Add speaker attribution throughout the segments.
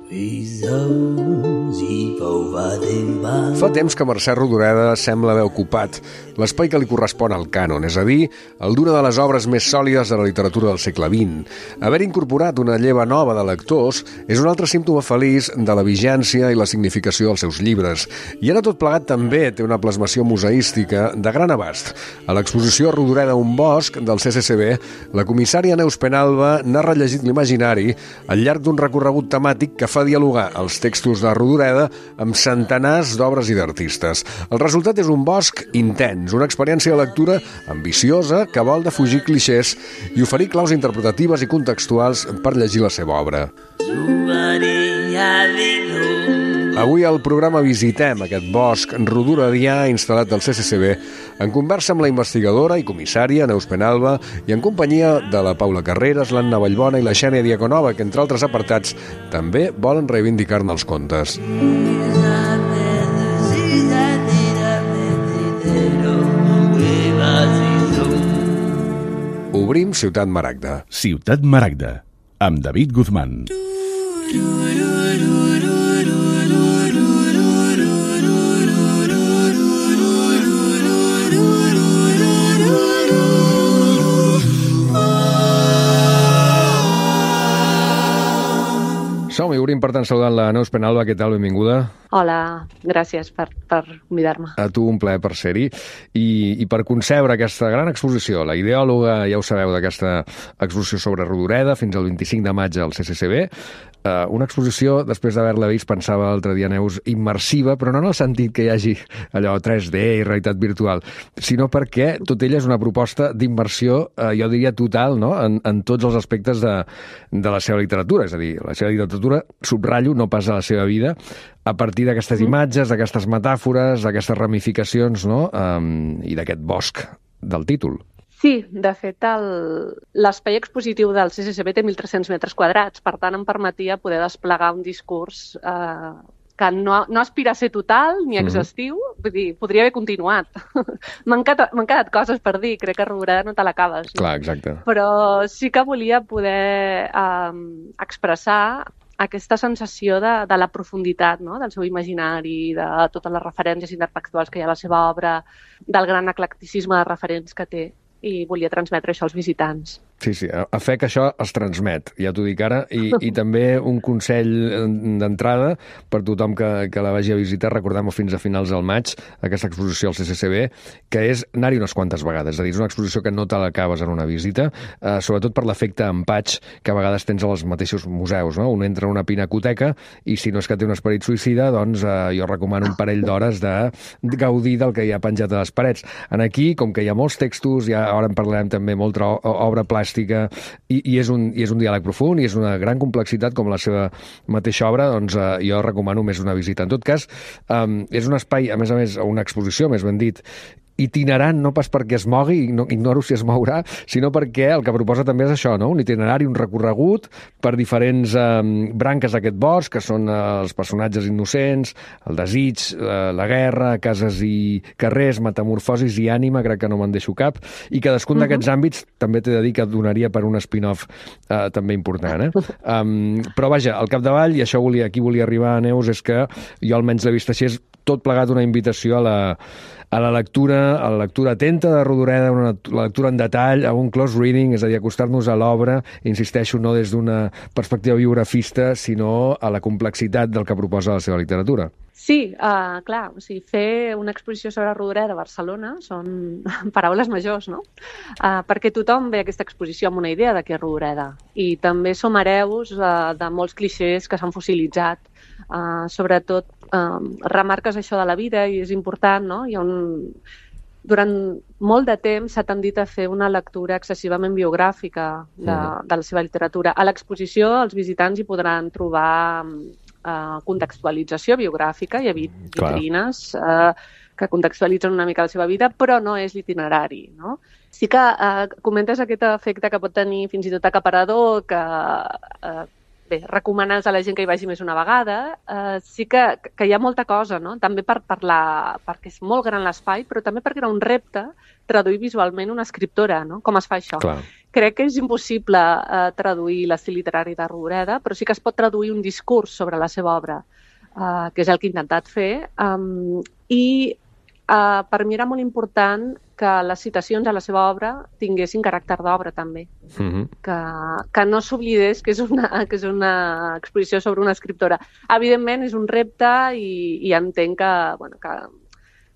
Speaker 1: Fa temps que Mercè Rodoreda sembla haver ocupat l'espai que li correspon al cànon, és a dir, el d'una de les obres més sòlides de la literatura del segle XX. Haver incorporat una lleva nova de lectors és un altre símptoma feliç de la vigència i la significació dels seus llibres. I ara tot plegat també té una plasmació museística de gran abast. A l'exposició Rodoreda un bosc del CCCB, la comissària Neus Penalba n'ha rellegit l'imaginari al llarg d'un recorregut temàtic que fa dialogar els textos de Rodoreda amb centenars d'obres i d'artistes. El resultat és un bosc intens, una experiència de lectura ambiciosa que vol defugir clixés i oferir claus interpretatives i contextuals per llegir la seva obra. Avui al programa visitem aquest bosc rodoredià instal·lat al CCCB en conversa amb la investigadora i comissària Neus Penalba i en companyia de la Paula Carreras, l'Anna Vallbona i la Xènia Diaconova, que entre altres apartats també volen reivindicar-ne els contes. Obrim Ciutat Maragda.
Speaker 2: Ciutat Maragda, amb David Guzmán.
Speaker 1: Som-hi, obrim per tant saludant la Neus Penalba. Què tal? Benvinguda.
Speaker 3: Hola, gràcies per convidar-me.
Speaker 1: A tu un plaer per ser-hi. I per concebre aquesta gran exposició, la ideòloga, ja ho sabeu, d'aquesta exposició sobre Rodoreda, fins al 25 de maig al CCCB, una exposició, després d'haver-la vist, pensava l'altre dia, Neus, immersiva, però no en el sentit que hi hagi allò 3D i realitat virtual, sinó perquè tot ella és una proposta d'immersió, jo diria total, no? en tots els aspectes de la seva literatura. És a dir, la seva literatura, subratllo, no pas a la seva vida, a partir d'aquestes imatges, d'aquestes metàfores, d'aquestes ramificacions, no? I d'aquest bosc del títol.
Speaker 3: Sí, de fet, l'espai expositiu del CCCB té 1.300 metres quadrats, per tant em permetia poder desplegar un discurs que no aspira a ser total ni exhaustiu, vull dir, podria haver continuat. M'han quedat coses per dir, crec que Rodoreda no te l'acabes.
Speaker 1: Clar, exacte.
Speaker 3: Però sí que volia poder expressar aquesta sensació de la profunditat, no? Del seu imaginari, de totes les referències intertextuals que hi ha a la seva obra, del gran eclecticisme de referents que té, i volia transmetre això als visitants.
Speaker 1: Sí, a fe que això es transmet, ja t'ho dic ara, i també un consell d'entrada per tothom que la vagi a visitar, recordem-ho fins a finals del maig, aquesta exposició al CCCB, que és anar-hi unes quantes vegades, és a dir, és una exposició que no te l'acabes en una visita, sobretot per l'efecte empatx que a vegades tens als mateixos museus, no? Un entra a una pinacoteca i si no és que té un esperit suïcida, doncs jo recomano un parell d'hores de gaudir del que hi ha penjat a les parets. En aquí, com que hi ha molts textos, ara en parlarem també, molta obra plàstica, i és un diàleg profund i és una gran complexitat com la seva mateixa obra, doncs jo recomano més una visita. En tot cas, és un espai, a més, una exposició, més ben dit, itinerant, no pas perquè es mogui, ignoro si es mourà, sinó perquè el que proposa també és això, no? Un itinerari, un recorregut per diferents branques d'aquest bosc, que són els personatges innocents, el desig, la guerra, cases i carrers, metamorfosis i ànima, crec que no me'n deixo cap, i cadascun d'aquests àmbits també t'he de dir que donaria per un spin-off també important. Però vaja, al capdavall, i això aquí volia arribar, Neus, és que jo almenys l'he vist així, és tot plegat una invitació a la lectura atenta de Rodoreda, la lectura en detall, a un close reading, és a dir, acostar-nos a l'obra, insisteixo, no des d'una perspectiva biografista, sinó a la complexitat del que proposa la seva literatura.
Speaker 3: Sí, clar, o sigui, fer una exposició sobre Rodoreda a Barcelona són paraules majors, no? Perquè tothom ve a aquesta exposició amb una idea de què és Rodoreda, i també som hereus de molts clixés que s'han fossilitzat, sobretot remarques això de la vida i és important, no? Durant molt de temps s'ha tendit a fer una lectura excessivament biogràfica de la seva literatura. A l'exposició els visitants hi podran trobar contextualització biogràfica, hi ha vitrines que contextualitzen una mica la seva vida, però no és l'itinerari, no? Sí que comentes aquest efecte que pot tenir fins i tot acaparador, que recomanes a la gent que hi vagi més una vegada. Sí que hi ha molta cosa, no? També perquè és molt gran l'espai, però també perquè era un repte traduir visualment una escriptora, no? Com es fa això?
Speaker 1: Clar.
Speaker 3: crec que és impossible traduir l'estil literari de Rodoreda, però sí que es pot traduir un discurs sobre la seva obra, que és el que he intentat fer, per mi era molt important que les citacions a la seva obra tinguessin caràcter d'obra també, que no s'oblidés que és una exposició sobre una escriptora. Evidentment és un repte i entenc que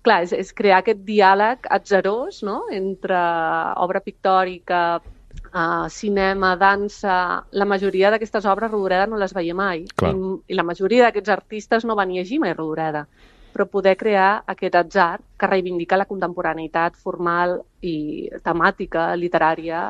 Speaker 3: clar, és crear aquest diàleg atzerós, no?, entre obra pictòrica, cinema, dansa. La majoria d'aquestes obres Rodoreda no les veia mai. I la majoria d'aquests artistes no van llegir mai Rodoreda. Però poder crear aquest atzar que reivindica la contemporaneïtat formal i temàtica, literària,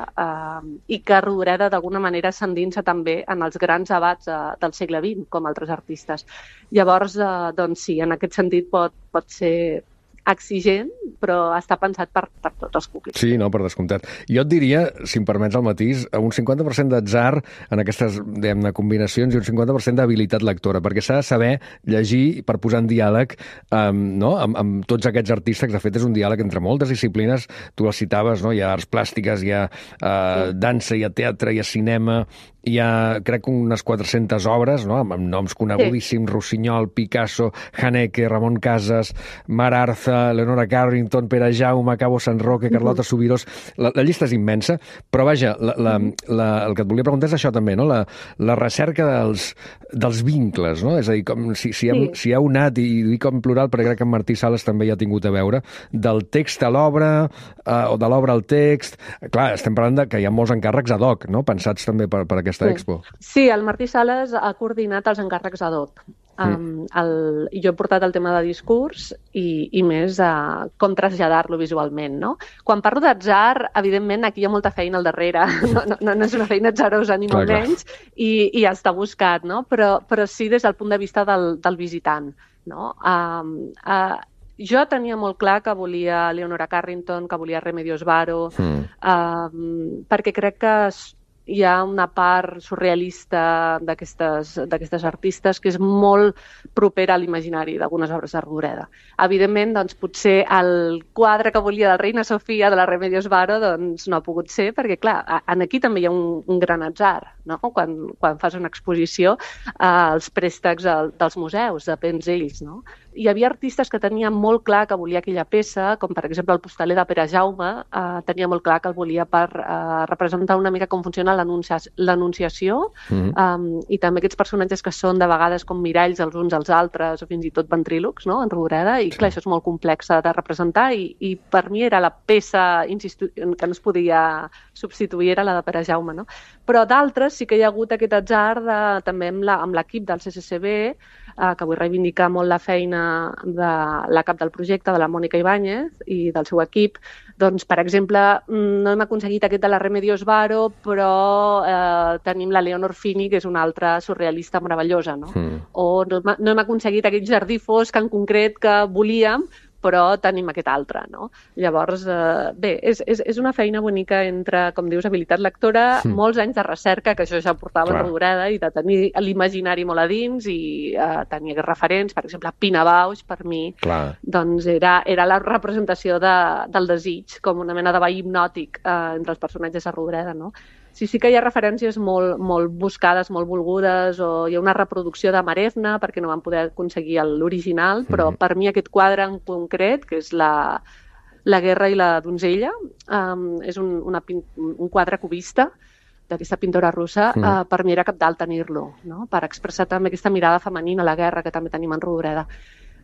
Speaker 3: i que Rodoreda d'alguna manera s'endinsa també en els grans abats del segle XX, com altres artistes. Llavors, doncs sí, en aquest sentit pot ser exigent, però està pensat per tots els públics.
Speaker 1: Sí, no, per descomptat. Jo et diria, si em permets el matís, un 50% d'atzar en aquestes, diguem-ne, combinacions i un 50% d'habilitat lectora, perquè s'ha de saber llegir per posar en diàleg amb tots aquests artistes. De fet, és un diàleg entre moltes disciplines. Tu les citaves, no? Hi ha arts plàstiques, hi ha dansa, hi ha teatre, hi ha cinema, hi ha, crec, unes 400 obres, no?, amb noms conegudíssims, Rossinyol, Picasso, Haneke, Ramon Casas, Mar Arza, Leonora Carrington, Pere Jaume, Cabo San Roque, Carlota Subirós. La llista és immensa, però vaja, el que et volia preguntar és això també, no?, la recerca dels vincles, no? És a dir, com si hi ha unat, i dic en plural perquè crec que en Martí Sales també hi ha tingut a veure, del text a l'obra, o de l'obra al text. Clar, estem parlant que hi ha molts encàrrecs ad hoc, no?, pensats també per aquesta expo.
Speaker 3: Sí, el Martí Sales ha coordinat els encàrrecs ad hoc. Jo he portat el tema de discurs i més com traslladar-lo visualment, no? Quan parlo d'atzar, evidentment, aquí hi ha molta feina al darrere. No és una feina atzarosa, ni molt menys, i està buscat, no? Però sí des del punt de vista del visitant, no? Jo tenia molt clar que volia Leonora Carrington, que volia Remedios Varo, perquè crec que hi ha una part surrealista d'aquestes artistes que és molt propera a l'imaginari d'algunes obres de Rodoreda. Evidentment, doncs, potser el quadre que volia de Reina Sofia de la Remedios Varo doncs, no ha pogut ser, perquè, clar, aquí també hi ha un gran atzar, no? Quan fas una exposició, els préstecs dels museus, depèn d'ells, no? Hi havia artistes que tenien molt clar que volia aquella peça, com per exemple el postaler de Pere Jaume, tenia molt clar que el volia per representar una mica com funciona l'Anunciació, i també aquests personatges que són de vegades com miralls els uns als altres, o fins i tot ventrílocs, no?, en Rodoreda, i clar, això és molt complex de representar, i per mi era la peça que no es podia substituir, era la de Pere Jaume, no? Però d'altres sí que hi ha hagut aquest atzar també amb l'equip del CCCB, que vull reivindicar molt la feina de la cap del projecte, de la Mònica Ibáñez, i del seu equip. Doncs, per exemple, no hem aconseguit aquest de la Remedios Varo, però tenim la Leonor Fini, que és una altra surrealista meravellosa, no? O no hem aconseguit aquest jardí fosc en concret que volíem, però tenim aquest altre, no? Llavors, bé, és una feina bonica entre, com dius, habilitat lectora, molts anys de recerca, que això ja portava en Rodoreda, i de tenir l'imaginari molt a dins, i tenir referents, per exemple, Pina Bausch, per mi, doncs era la representació del desig, com una mena de veí hipnòtic entre els personatges de Rodoreda, no? Sí que hi ha referències molt buscades, molt volgudes, o hi ha una reproducció de Marefna, perquè no van poder aconseguir l'original, però per mi aquest quadre en concret, que és la guerra i la donzella, és un quadre cubista d'aquesta pintora russa, per mi era cabdal tenir-lo, no?, per expressar també aquesta mirada femenina a la guerra que també tenim en Rodoreda.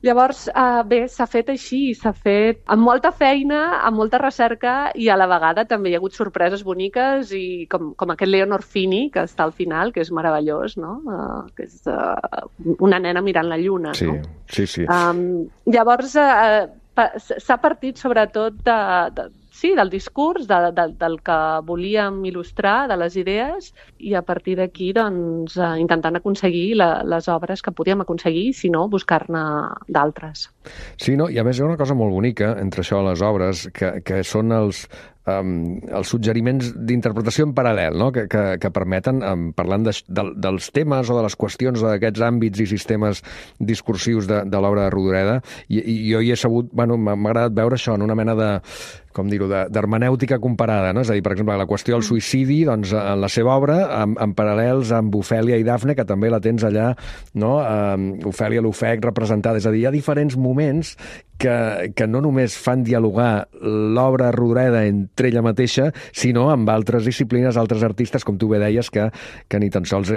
Speaker 3: Llavors, bé, s'ha fet així, s'ha fet amb molta feina, amb molta recerca, i a la vegada també hi ha hagut sorpreses boniques, i com aquest Leonor Fini, que està al final, que és meravellós, no? Que és una nena mirant la lluna, no?
Speaker 1: Sí.
Speaker 3: Llavors, s'ha partit sobretot del discurs, del que volíem il·lustrar, de les idees, i a partir d'aquí, doncs, intentant aconseguir les obres que podíem aconseguir, si no, buscar-ne d'altres.
Speaker 1: Sí, no? I a més hi ha una cosa molt bonica entre això, les obres, que són els els suggeriments d'interpretació en paral·lel, no? que permeten, parlant dels temes o de les qüestions d'aquests àmbits i sistemes discursius de l'obra de Rodoreda, i jo hi he sabut, m'ha agradat veure això en una mena de, com dir-ho, d'hermenèutica comparada, no? És a dir, per exemple, la qüestió del suïcidi, doncs, en la seva obra, en paral·lels amb Ofèlia i Dafne, que també la tens allà, no? Ofèlia l'ofec representada. És a dir, hi ha diferents moments que no només fan dialogar l'obra Rodoreda entre ella mateixa, sinó amb altres disciplines, altres artistes, com tu bé deies, que ni tan sols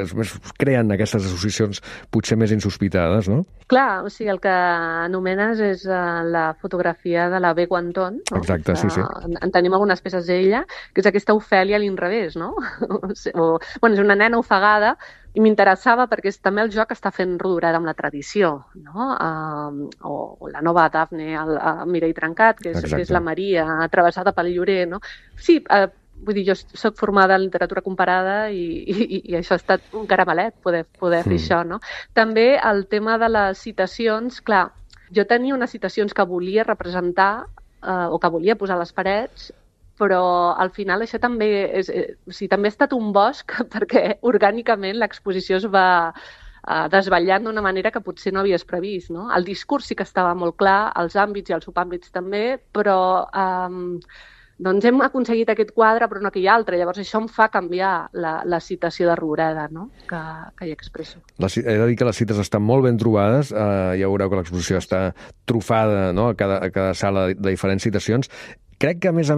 Speaker 1: creen aquestes associacions potser més insospitades, no?
Speaker 3: Clar, o sigui, el que anomenes és la fotografia de la B. Guanton. No?
Speaker 1: Exacte, sí.
Speaker 3: En tenim algunes peces d'ella, que és aquesta Ofèlia a l'inrevés, no? Bueno, és una nena ofegada, i m'interessava perquè és també el joc que està fent Rodoreda amb la tradició, no? O la nova Dafne, el Mireia Trencat, que és la Maria, travessada pel Llorer, no? Sí, vull dir, jo soc formada en literatura comparada i això ha estat un caramelet, poder fer això, no? També el tema de les citacions, clar, jo tenia unes citacions que volia representar o que volia posar a les parets, però al final això també també ha estat un bosc perquè orgànicament l'exposició es va desvetllant d'una manera que potser no havies previst, no? El discurs sí que estava molt clar, els àmbits i els subàmbits també, però doncs hem aconseguit aquest quadre però no aquell altre. Llavors això em fa canviar la citació de Rodoreda, no? que hi expresso.
Speaker 1: He de dir que les cites estan molt ben trobades, ja veureu que l'exposició està trufada, no? a cada sala de diferents citacions. Crec que, a més,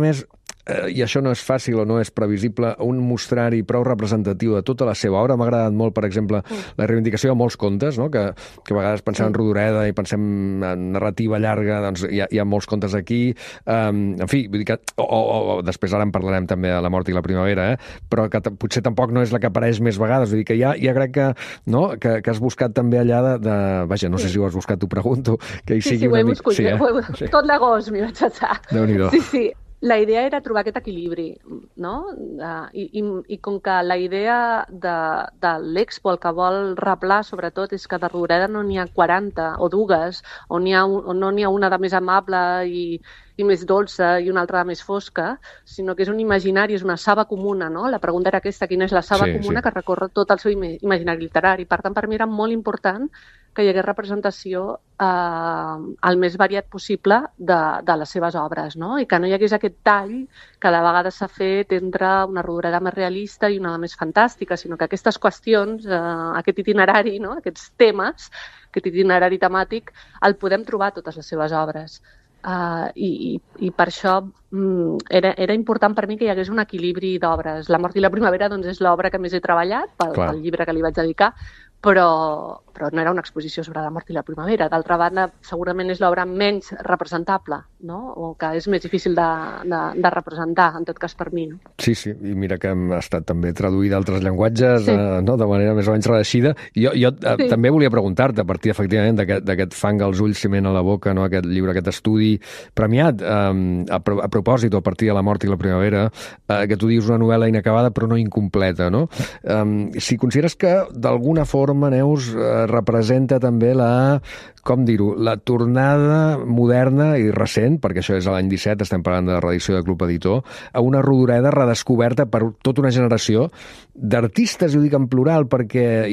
Speaker 1: i això no és fàcil o no és previsible, un mostrari prou representatiu de tota la seva obra. M'ha agradat molt, per exemple, la reivindicació de molts contes, no? que a vegades pensem en Rodoreda i pensem en narrativa llarga, doncs hi ha molts contes aquí. En fi, vull dir que... O després ara en parlarem també de La mort i la primavera, però que potser tampoc no és la que apareix més vegades. Vull dir que ja crec que, no? que has buscat també allà de... Vaja, no sé si ho has buscat, t'ho pregunto, que hi sigui una mica...
Speaker 3: Sí, ho he buscat. Tot l'agost m'hi vaig passar.
Speaker 1: Déu-n'hi-do.
Speaker 3: Sí. La idea era trobar aquest equilibri, no? I com que la idea de l'Expo, el que vol reblar sobretot, és que de Rodoreda no n'hi ha 40 o dues, o no n'hi ha una de més amable i més dolça i una altra de més fosca, sinó que és un imaginari, és una saba comuna, no? La pregunta era aquesta, quina és la saba comuna que recorre tot el seu imaginari literari. Per tant, per mi era molt important que hi hagués representació el més variat possible de les seves obres, no? I que no hi hagués aquest tall que de vegades s'ha fet entre una Rodoreda més realista i una més fantàstica, sinó que aquestes qüestions, aquest itinerari, no? Aquests temes, aquest itinerari temàtic, el podem trobar a totes les seves obres. I per això era important per mi que hi hagués un equilibri d'obres. La mort i la primavera doncs, és l'obra que més he treballat pel llibre que li vaig dedicar, però no era una exposició sobre la mort i la primavera. D'altra banda, segurament és l'obra menys representable, no? O que és més difícil de representar, en tot cas per mi. No?
Speaker 1: Sí, i mira que ha estat també traduïda a altres llenguatges, no? De manera més o menys reeixida. Jo també volia preguntar-te, a partir, efectivament, d'aquest fang als ulls, ciment a la boca, no? Aquest llibre, aquest estudi premiat, a propòsit, o a partir de la mort i la primavera, que tu dius una novel·la inacabada però no incompleta, no? Si consideres que, d'alguna forma, Neus, representa també la tornada moderna i recent, perquè això és l'any 17, estem parlant de la reedició de Club Editor, a una Rodoreda redescoberta per tota una generació d'artistes, i ho dic en plural, perquè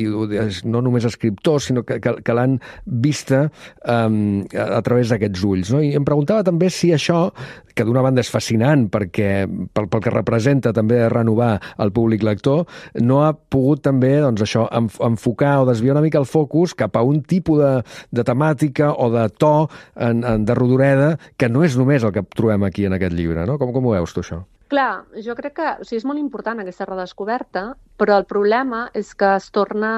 Speaker 1: no només escriptors, sinó que l'han vista a través d'aquests ulls. No? I em preguntava també si això, que d'una banda és fascinant perquè pel que representa també renovar el públic lector, no ha pogut també doncs, això enfocar o desviar una mica el focus cap a un tipus de temàtica o de to de Rodoreda que no és només el que trobem aquí en aquest llibre. No? Com ho veus tu, això?
Speaker 3: Clar, jo crec que és molt important aquesta redescoberta, però el problema és que es torna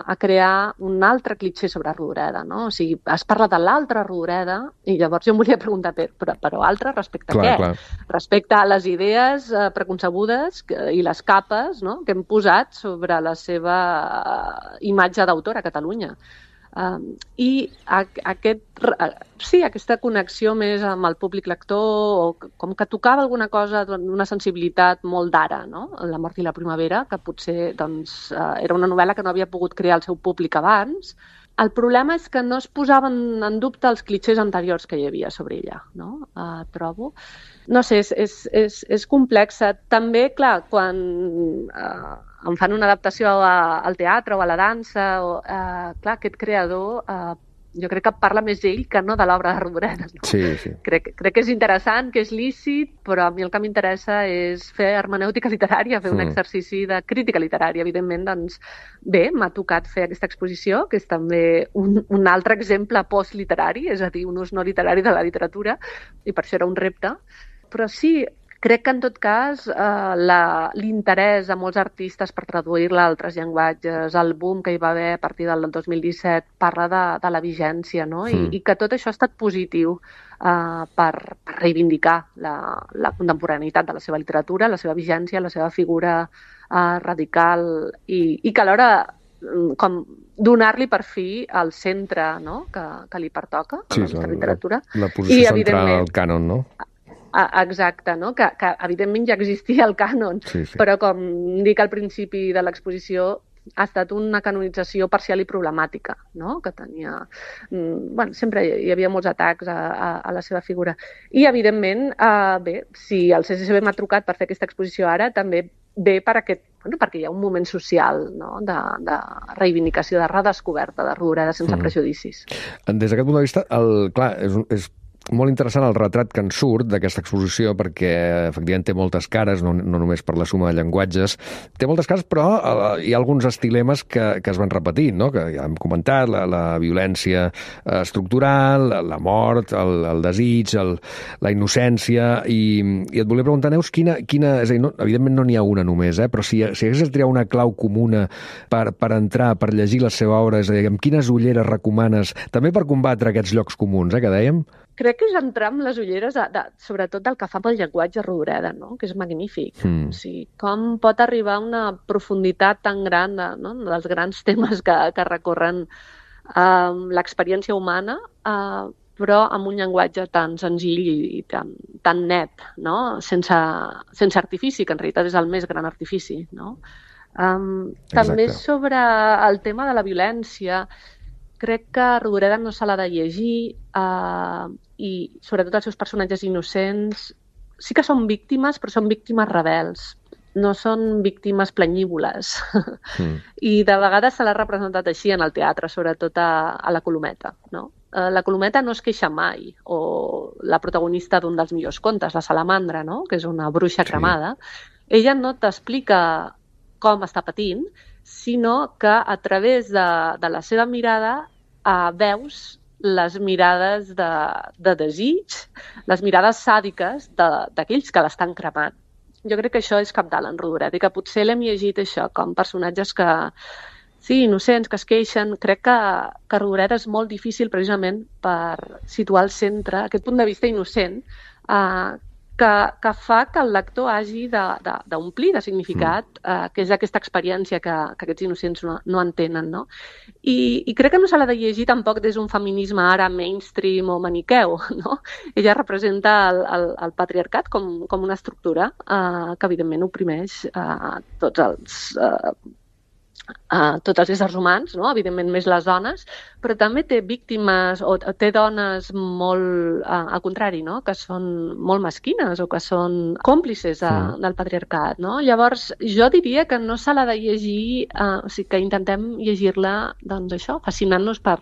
Speaker 3: a crear un altre clitxer sobre Rodoreda, no? O sigui, es parla de l'altra Rodoreda i llavors jo em volia preguntar, però altra respecte a què? Clar. Respecte a les idees preconcebudes i les capes, no? Que hem posat sobre la seva imatge d'autor a Catalunya. I aquesta connexió més amb el públic lector, o com que tocava alguna cosa d'una sensibilitat molt d'ara, no? La mort i la primavera, que potser doncs, era una novel·la que no havia pogut crear el seu públic abans, El problema és que no es posaven en dubte els clitxers anteriors que hi havia sobre ella, no? Trobo. No sé, és complexa. També, clar, quan em fan una adaptació al teatre o a la dansa, clar, aquest creador jo crec que parla més d'ell que no de l'obra de Rodoreda. No?
Speaker 1: Sí, sí.
Speaker 3: Crec que és interessant, que és lícit, però a mi el que m'interessa és fer hermenèutica literària, fer un exercici de crítica literària. Evidentment, doncs, bé, m'ha tocat fer aquesta exposició, que és també un altre exemple postliterari, és a dir, un ús no literari de la literatura, i per això era un repte. Però sí, crec que en tot cas l'interès de molts artistes per traduir-la a altres llenguatges, el boom que hi va haver a partir del 2017 parla de la vigència, no? I que tot això ha estat positiu per reivindicar la contemporaneïtat de la seva literatura, la seva vigència, la seva figura radical i que alhora com donar-li per fi el centre, no? que li pertoca a la nostra literatura.
Speaker 1: La posició central al cànon, no?
Speaker 3: Exacte, no? Que evidentment ja existia el cànon, però com dic al principi de l'exposició, ha estat una canonització parcial i problemàtica, no? Que tenia... sempre hi havia molts atacs a la seva figura. I, evidentment, bé, si el CCCB m'ha trucat per fer aquesta exposició ara, també ve perquè hi ha un moment social, no? de reivindicació, de redescoberta de Rodoreda sense prejudicis.
Speaker 1: Des d'aquest punt de vista, clar, és molt interessant el retrat que en surt d'aquesta exposició perquè efectivament té moltes cares, no només per la suma de llenguatges. Té moltes cares, però hi ha alguns estilemes que es van repetint, no? Que ja hem comentat, la violència estructural, la mort, el desig, la innocència, i et volia preguntar, Neus, quina és a dir, evidentment no n'hi ha una només, però si hagués de triar una clau comuna per entrar, per llegir la seva obra, és a dir, amb quines ulleres recomanes, també per combatre aquests llocs comuns, que dèiem?
Speaker 3: Crec que és entrar amb les ulleres, sobretot del que fa pel llenguatge Rodoreda, no? Que és magnífic. O sigui, com pot arribar a una profunditat tan gran dels grans temes que recorren l'experiència humana, però amb un llenguatge tan senzill i tan net, no? Sense artifici, que en realitat és el més gran artifici. No? També sobre el tema de la violència, crec que Rodoreda no se l'ha de llegir i sobretot els seus personatges innocents sí que són víctimes, però són víctimes rebels. No són víctimes planyívoles. I de vegades se l'ha representat així en el teatre, sobretot a la Colometa. No? La Colometa no es queixa mai, o la protagonista d'un dels millors contes, la Salamandra, no? Que és una bruixa cremada. Ella no t'explica com està patint, sinó que a través de la seva mirada veus les mirades de desig, les mirades sàdiques d'aquells que l'estan cremant. Jo crec que això és cabdal en Rodoreda i que potser l'hem llegit això com personatges que, sí, innocents, que es queixen. Crec que Rodoreda és molt difícil precisament per situar al centre aquest punt de vista innocent que fa que el lector hagi d'omplir de significat, que és aquesta experiència que aquests innocents no entenen. No? I crec que no se l'ha de llegir tampoc des d'un feminisme ara mainstream o maniqueu. No? Ella representa el patriarcat com una estructura que evidentment oprimeix tots els éssers humans, no? Evidentment més les dones, però també té víctimes o té dones molt, al contrari, no? Que són molt mesquines o que són còmplices del patriarcat. No? Llavors, jo diria que no se l'ha de llegir, o sigui, que intentem llegir-la, doncs això, fascinant-nos per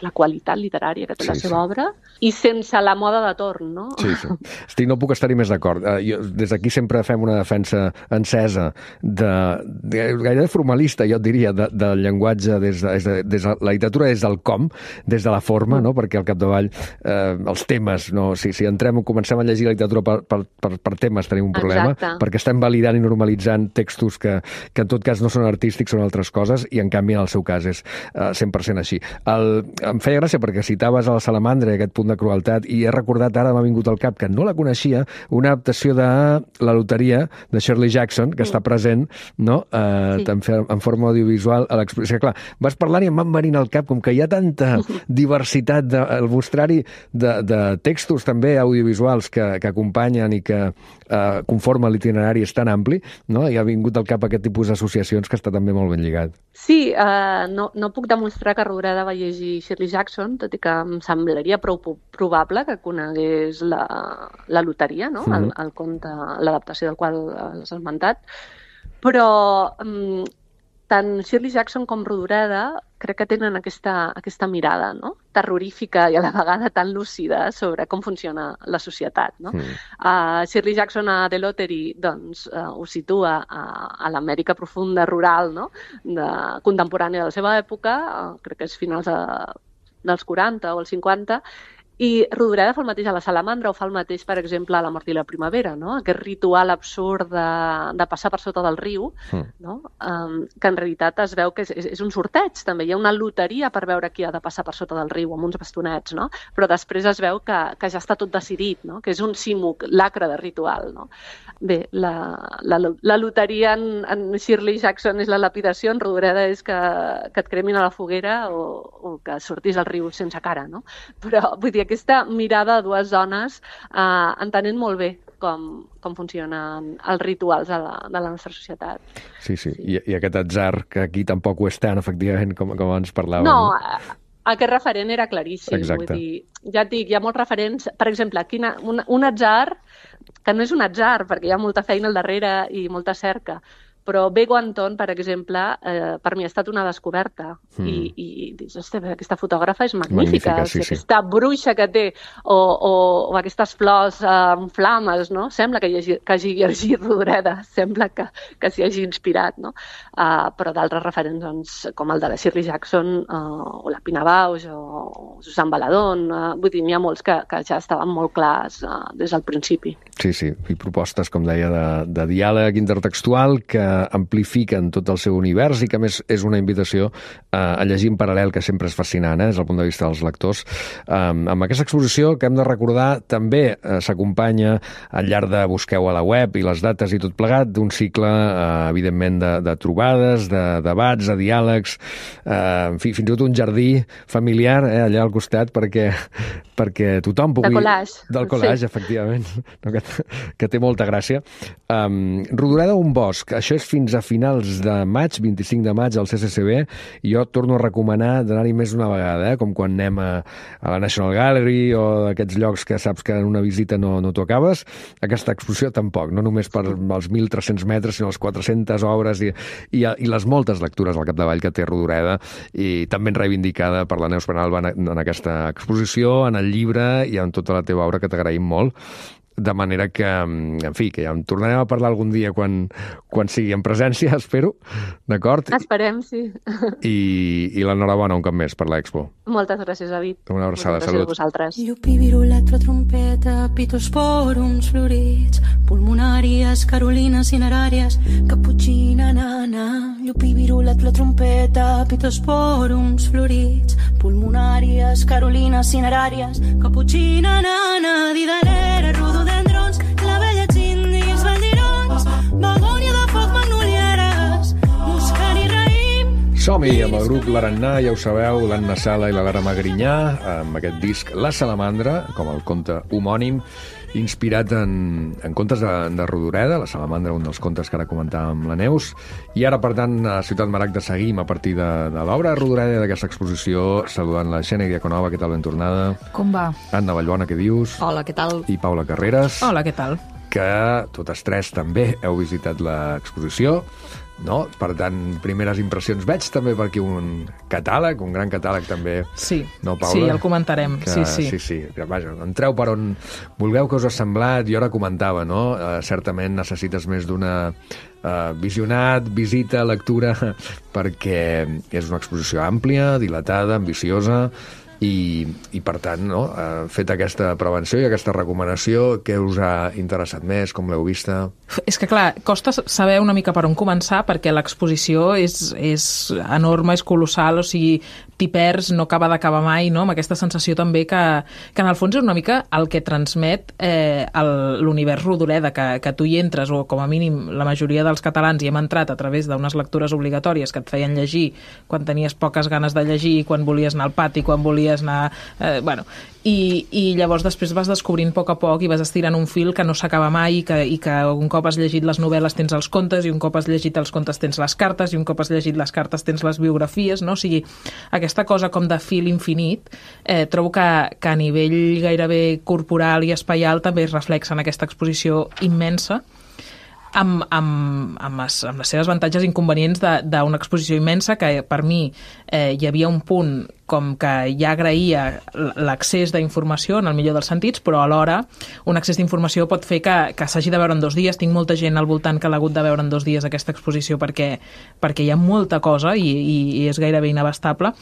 Speaker 3: la qualitat literària que té la seva obra i sense la moda de torn. No?
Speaker 1: Sí. No puc estar-hi més d'acord. Des d'aquí sempre fem una defensa encesa, gairebé formalista, jo et diria, del llenguatge des de la literatura des del com, des de la forma, no? Perquè al capdavall els temes, no? Si comencem a llegir la literatura per temes tenim un problema, perquè estem validant i normalitzant textos que en tot cas no són artístics, són altres coses, i en canvi en el seu cas és 100% així. Em feia gràcia perquè citaves a la Salamandra aquest punt de crueltat i he recordat, ara m'ha vingut al cap, que no la coneixia, una adaptació de La loteria de Shirley Jackson, que està present, no? En forma audiovisual a l'exposició. Clar, vas parlant i em van venint al cap, com que hi ha tanta diversitat al mostrari de textos també audiovisuals que acompanyen i que conformen l'itinerari és tan ampli, no? I ha vingut al cap aquest tipus d'associacions que està també molt ben lligat.
Speaker 3: Sí, no puc demostrar que Rodoreda va llegir Shirley Jackson, tot i que em semblaria prou probable que conegués la loteria, no? El conte, l'adaptació del qual has esmentat, però tant Shirley Jackson com Rodoreda crec que tenen aquesta mirada, no? Terrorífica i a la vegada tan lúcida sobre com funciona la societat, no? Shirley Jackson a The Lottery doncs, ho situa a l'Amèrica profunda rural, no? Contemporània de la seva època, crec que és finals dels 40 o els 50, i Rodoreda fa el mateix a la Salamandra, o fa el mateix, per exemple, a La mort i la primavera, no? Aquest ritual absurd de passar per sota del riu, no? Que en realitat es veu que és un sorteig, també. Hi ha una loteria per veure qui ha de passar per sota del riu, amb uns bastonets, no? Però després es veu que ja està tot decidit, no? Que és un simulacre de ritual, no? Bé, la loteria en Shirley Jackson és la lapidació, en Rodoreda és que et cremin a la foguera o que sortis al riu sense cara, no? Però, vull dir, aquesta mirada de dues dones entenent molt bé com funcionen els rituals de la nostra societat.
Speaker 1: Sí. I aquest atzar, que aquí tampoc ho és tant, efectivament, com abans parlàvem.
Speaker 3: No, aquest referent era claríssim.
Speaker 1: Exacte.
Speaker 3: Vull dir, ja et dic, hi ha molts referents. Per exemple, un atzar, que no és un atzar, perquè hi ha molta feina al darrere i molta cerca, però Bego Anton, per exemple, per mi ha estat una descoberta. I dius, aquesta fotògrafa és magnífica.
Speaker 1: Sí.
Speaker 3: Aquesta bruixa que té, o aquestes flors amb flames, no? Sembla que hagi llegit Rodoreda, sembla que s'hi hagi inspirat, no? Però d'altres referents, doncs, com el de la Shirley Jackson, o la Pina Bausch, o Susan Baladón, vull dir, n'hi ha molts que ja estaven molt clars des del principi.
Speaker 1: Sí, i propostes, com deia, de diàleg intertextual que amplifiquen tot el seu univers i que, a més, és una invitació a llegir en paral·lel, que sempre és fascinant, des del punt de vista dels lectors. Amb aquesta exposició, que hem de recordar, també s'acompanya al llarg de busqueu a la web i les dates i tot plegat, d'un cicle, evidentment, de trobades, de debats, de diàlegs, en fi, fins i tot un jardí familiar allà al costat perquè tothom pugui...
Speaker 3: De collage.
Speaker 1: Del collage, sí. Efectivament, que té molta gràcia. Rodoreda un bosc, això és fins a finals de maig, 25 de maig, al CCCB, i jo torno a recomanar d'anar-hi més d'una vegada, com quan anem a la National Gallery o aquests llocs que saps que en una visita no t'ho acabes. Aquesta exposició tampoc, no només per els 1.300 metres, sinó les 400 obres i les moltes lectures al capdavall que té Rodoreda, i també reivindicada per la Neus Penalba en aquesta exposició, en el llibre i en tota la teva obra, que t'agraïm molt. De manera que, en fi, que ja en tornarem a parlar algun dia quan sigui en presència, espero, d'acord?
Speaker 3: Esperem, sí.
Speaker 1: I l'enhorabona un cop més per l'Expo.
Speaker 3: Moltes gràcies, David.
Speaker 1: Una abraçada, salut.
Speaker 3: Gràcies a vosaltres.
Speaker 4: Llupi, viruletro, trompeta, pitosporums florits, pulmonàries, carolines cineràries, caputxina, nana. Llupi, viruletro, trompeta, pitosporums florits, pulmonàries, carolines cineràries, caputxina, nana, didalera, rododendrons, clavellets indis, valdirons, begònia de foc, magnolieres, muscari, raïm...
Speaker 1: Som-hi amb el grup L'Arannà, ja ho sabeu, l'Anna Sala i la Lara Magrinyà, amb aquest disc La Salamandra, com el conte homònim, inspirat en contes de Rodoreda, La Salamandra, un dels contes que ara comentàvem amb la Neus. I ara, per tant, a Ciutat Maragda seguim a partir de l'obra de Rodoreda, d'aquesta exposició, saludant la Xènia Diaconova, què tal, ben tornada?
Speaker 5: Com va?
Speaker 1: Anna Vallbona, què dius?
Speaker 5: Hola, què tal?
Speaker 1: I Paula Carreras.
Speaker 5: Hola, què tal?
Speaker 1: Que totes tres també heu visitat l'exposició, no? Per tant, primeres impressions. Veig també per aquí un catàleg, un gran catàleg també.
Speaker 5: Sí,
Speaker 1: no, Paula?
Speaker 5: Sí, el comentarem.
Speaker 1: Que,
Speaker 5: sí.
Speaker 1: Sí. Vaja, entreu per on vulgueu, que us ha semblat. Jo ara comentava, no? Certament necessites més d'una visionat, visita, lectura, perquè és una exposició àmplia, dilatada, ambiciosa, i per tant, no? Fet aquesta prevenció i aquesta recomanació, què us ha interessat més, com l'heu vista?
Speaker 5: És que, clar, costa saber una mica per on començar, perquè l'exposició és enorme, és colossal, o sigui, t'hi perds, no acaba d'acabar mai, no? Amb aquesta sensació també que en el fons és una mica el que transmet l'univers Rodoreda, que tu hi entres, o com a mínim la majoria dels catalans hi hem entrat a través d'unes lectures obligatòries que et feien llegir quan tenies poques ganes de llegir, quan volies anar al pati, quan volies anar... I llavors després vas descobrint a poc i vas estirant un fil que no s'acaba mai i que un cop has llegit les novel·les tens els contes, i un cop has llegit els contes tens les cartes, i un cop has llegit les cartes tens les biografies, no? O sigui, aquesta cosa com de fil infinit, trobo que a nivell gairebé corporal i espaial també es reflexa en aquesta exposició immensa, amb les seves avantatges i inconvenients d'una exposició immensa, que per mi hi havia un punt com que ja agraïa l'accés d'informació en el millor dels sentits, però alhora un accés d'informació pot fer que s'hagi de veure en 2 dies. Tinc molta gent al voltant que l'ha hagut de veure en 2 dies aquesta exposició perquè hi ha molta cosa i és gairebé inabastable.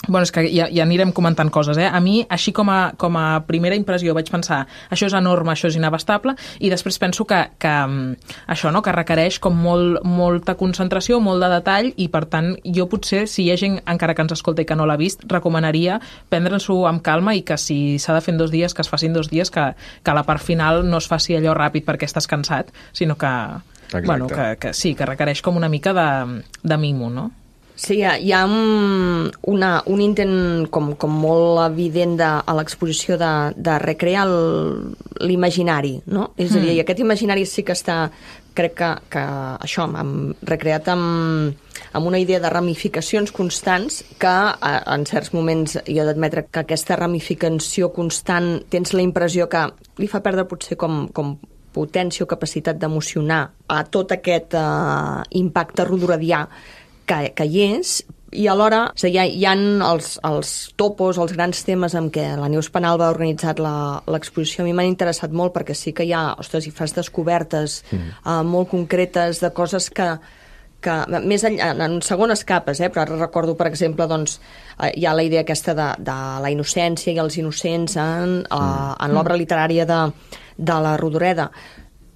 Speaker 5: Bueno, és que ja anirem comentant coses, A mi, així com a primera impressió, vaig pensar això és enorme, això és inabastable, i després penso que això, no?, que requereix com molta concentració, molt de detall, i per tant jo potser, si hi ha gent encara que ens escolta i que no l'ha vist, recomanaria prendre-s'ho amb calma, i que si s'ha de fer en 2 dies, que es facin 2 dies, que la part final no es faci allò ràpid perquè estàs cansat, sinó que, bueno, que sí, que requereix com una mica de mimo, no?
Speaker 6: Sí, hi ha un intent com molt evident a l'exposició de recrear l'imaginari, no? És a dir, aquest imaginari sí que està, crec que això, recreat amb una idea de ramificacions constants, que en certs moments hi ha d'admetre que aquesta ramificació constant tens la impressió que li fa perdre potser com potència o capacitat d'emocionar a tot aquest impacte rodoredià que hi és, i alhora hi ha els topos, els grans temes amb què la Neus Penalba ha organitzat l'exposició. A mi m'han interessat molt perquè sí que hi ha, ostres, hi fas descobertes molt concretes de coses que més enllà, en segones capes, però ara recordo, per exemple, doncs, hi ha la idea aquesta de la innocència i els innocents en l'obra literària de la Rodoreda.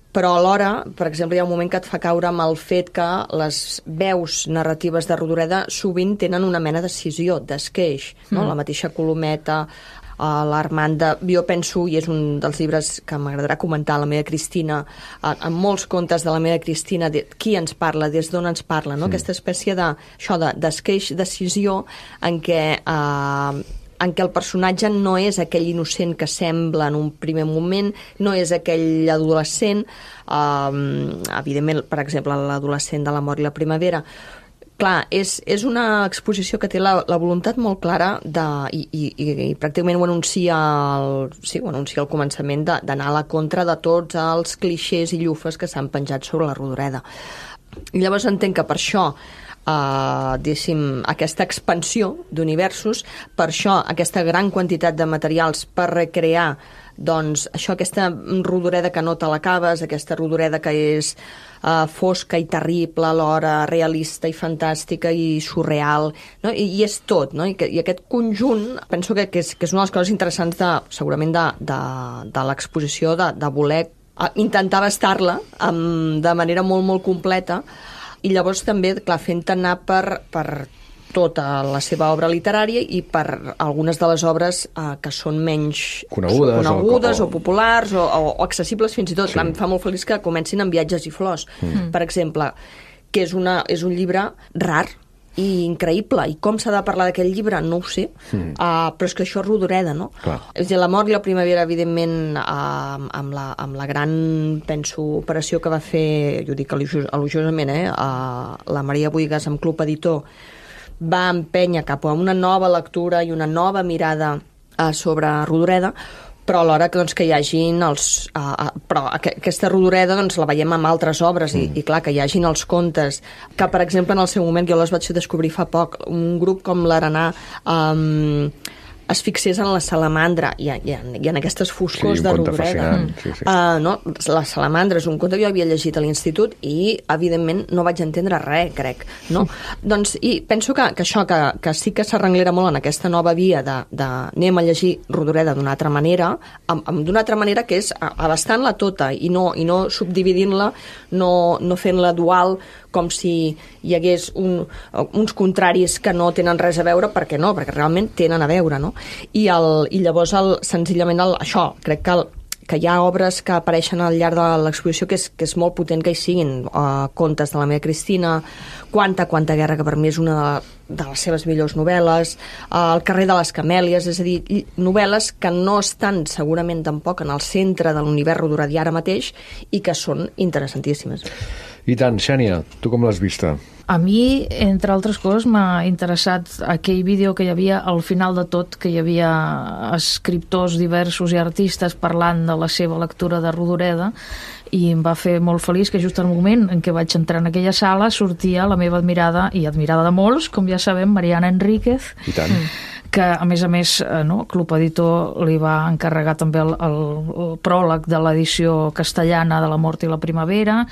Speaker 6: Però alhora, per exemple, hi ha un moment que et fa caure amb el fet que les veus narratives de Rodoreda sovint tenen una mena de cisió, d'esqueix, no? La mateixa Colometa, l'Armanda, jo penso, i és un dels llibres que m'agradarà comentar, la meva Cristina, en molts contes de la meva Cristina, qui ens parla, des d'on ens parla, no? Aquesta espècie d'esqueix, de cisió, en què el personatge no és aquell innocent que sembla en un primer moment, no és aquell adolescent, evidentment, per exemple, l'adolescent de l'amor i la primavera. Clar, és una exposició que té la voluntat molt clara i pràcticament ho anuncia al començament, d'anar a la contra de tots els clixés i llufes que s'han penjat sobre la Rodoreda. I llavors entenc que per això aquesta expansió d'universos, per això aquesta gran quantitat de materials per recrear, doncs, això, aquesta Rodoreda que no te l'acabes, aquesta Rodoreda que és fosca i terrible, alhora realista i fantàstica i surreal, no? I és tot, no? I aquest conjunt penso que és una de les coses interessants segurament de l'exposició, de voler intentar abastar-la de manera molt, molt completa. I llavors també, clar, fent anar per tota la seva obra literària i per algunes de les obres que són menys conegudes o populars o accessibles fins i tot. Sí. Clar, em fa molt feliç que comencin amb Viatges i flors, per exemple, que és un llibre rar i increïble. I com s'ha de parlar d'aquest llibre? No ho sé. Però és que això és Rodoreda, no? Clar. És a dir, l'amor i la primavera, evidentment, amb la gran, penso, operació que va fer, jo dic elogiosament, la Maria Buigas amb Club Editor, va empènyer cap a una nova lectura i una nova mirada sobre Rodoreda, però alhora que hi hagin però aquesta Rodoreda la veiem en altres obres i clar, que hi hagin els contes que, per exemple, en el seu moment jo les vaig descobrir fa poc, un grup com l'Arenà es fixés en la salamandra i en aquestes foscors de Rodoreda.
Speaker 1: Sí.
Speaker 6: No? La salamandra és un conte que jo havia llegit a l'institut i, evidentment, no vaig entendre res, crec. No? Doncs, i penso que això, que sí que s'arrenglera molt en aquesta nova via de anem a llegir Rodoreda d'una altra manera, d'una altra manera que és abastant-la tota i no subdividint-la, no fent-la dual com si hi hagués uns contraris que no tenen res a veure, perquè no, perquè realment tenen a veure, no? I llavors, senzillament, això, crec que hi ha obres que apareixen al llarg de l'exposició que és molt potent que hi siguin. Contes de la meva Cristina, Quanta guerra, que per mi és una de les seves millors novel·les, El carrer de les camèlies, és a dir, novel·les que no estan segurament tampoc en el centre de l'univers rodoredià ara mateix i que són interessantíssimes.
Speaker 1: I tant, Xènia, tu com l'has vista?
Speaker 7: A mi, entre altres coses, m'ha interessat aquell vídeo que hi havia al final de tot, que hi havia escriptors diversos i artistes parlant de la seva lectura de Rodoreda, i em va fer molt feliç que just al moment en què vaig entrar en aquella sala sortia la meva admirada, i admirada de molts, com ja sabem, Mariana Enríquez,
Speaker 1: I tant.
Speaker 7: que a més Club Editor li va encarregar també el pròleg de l'edició castellana de La mort i la primavera,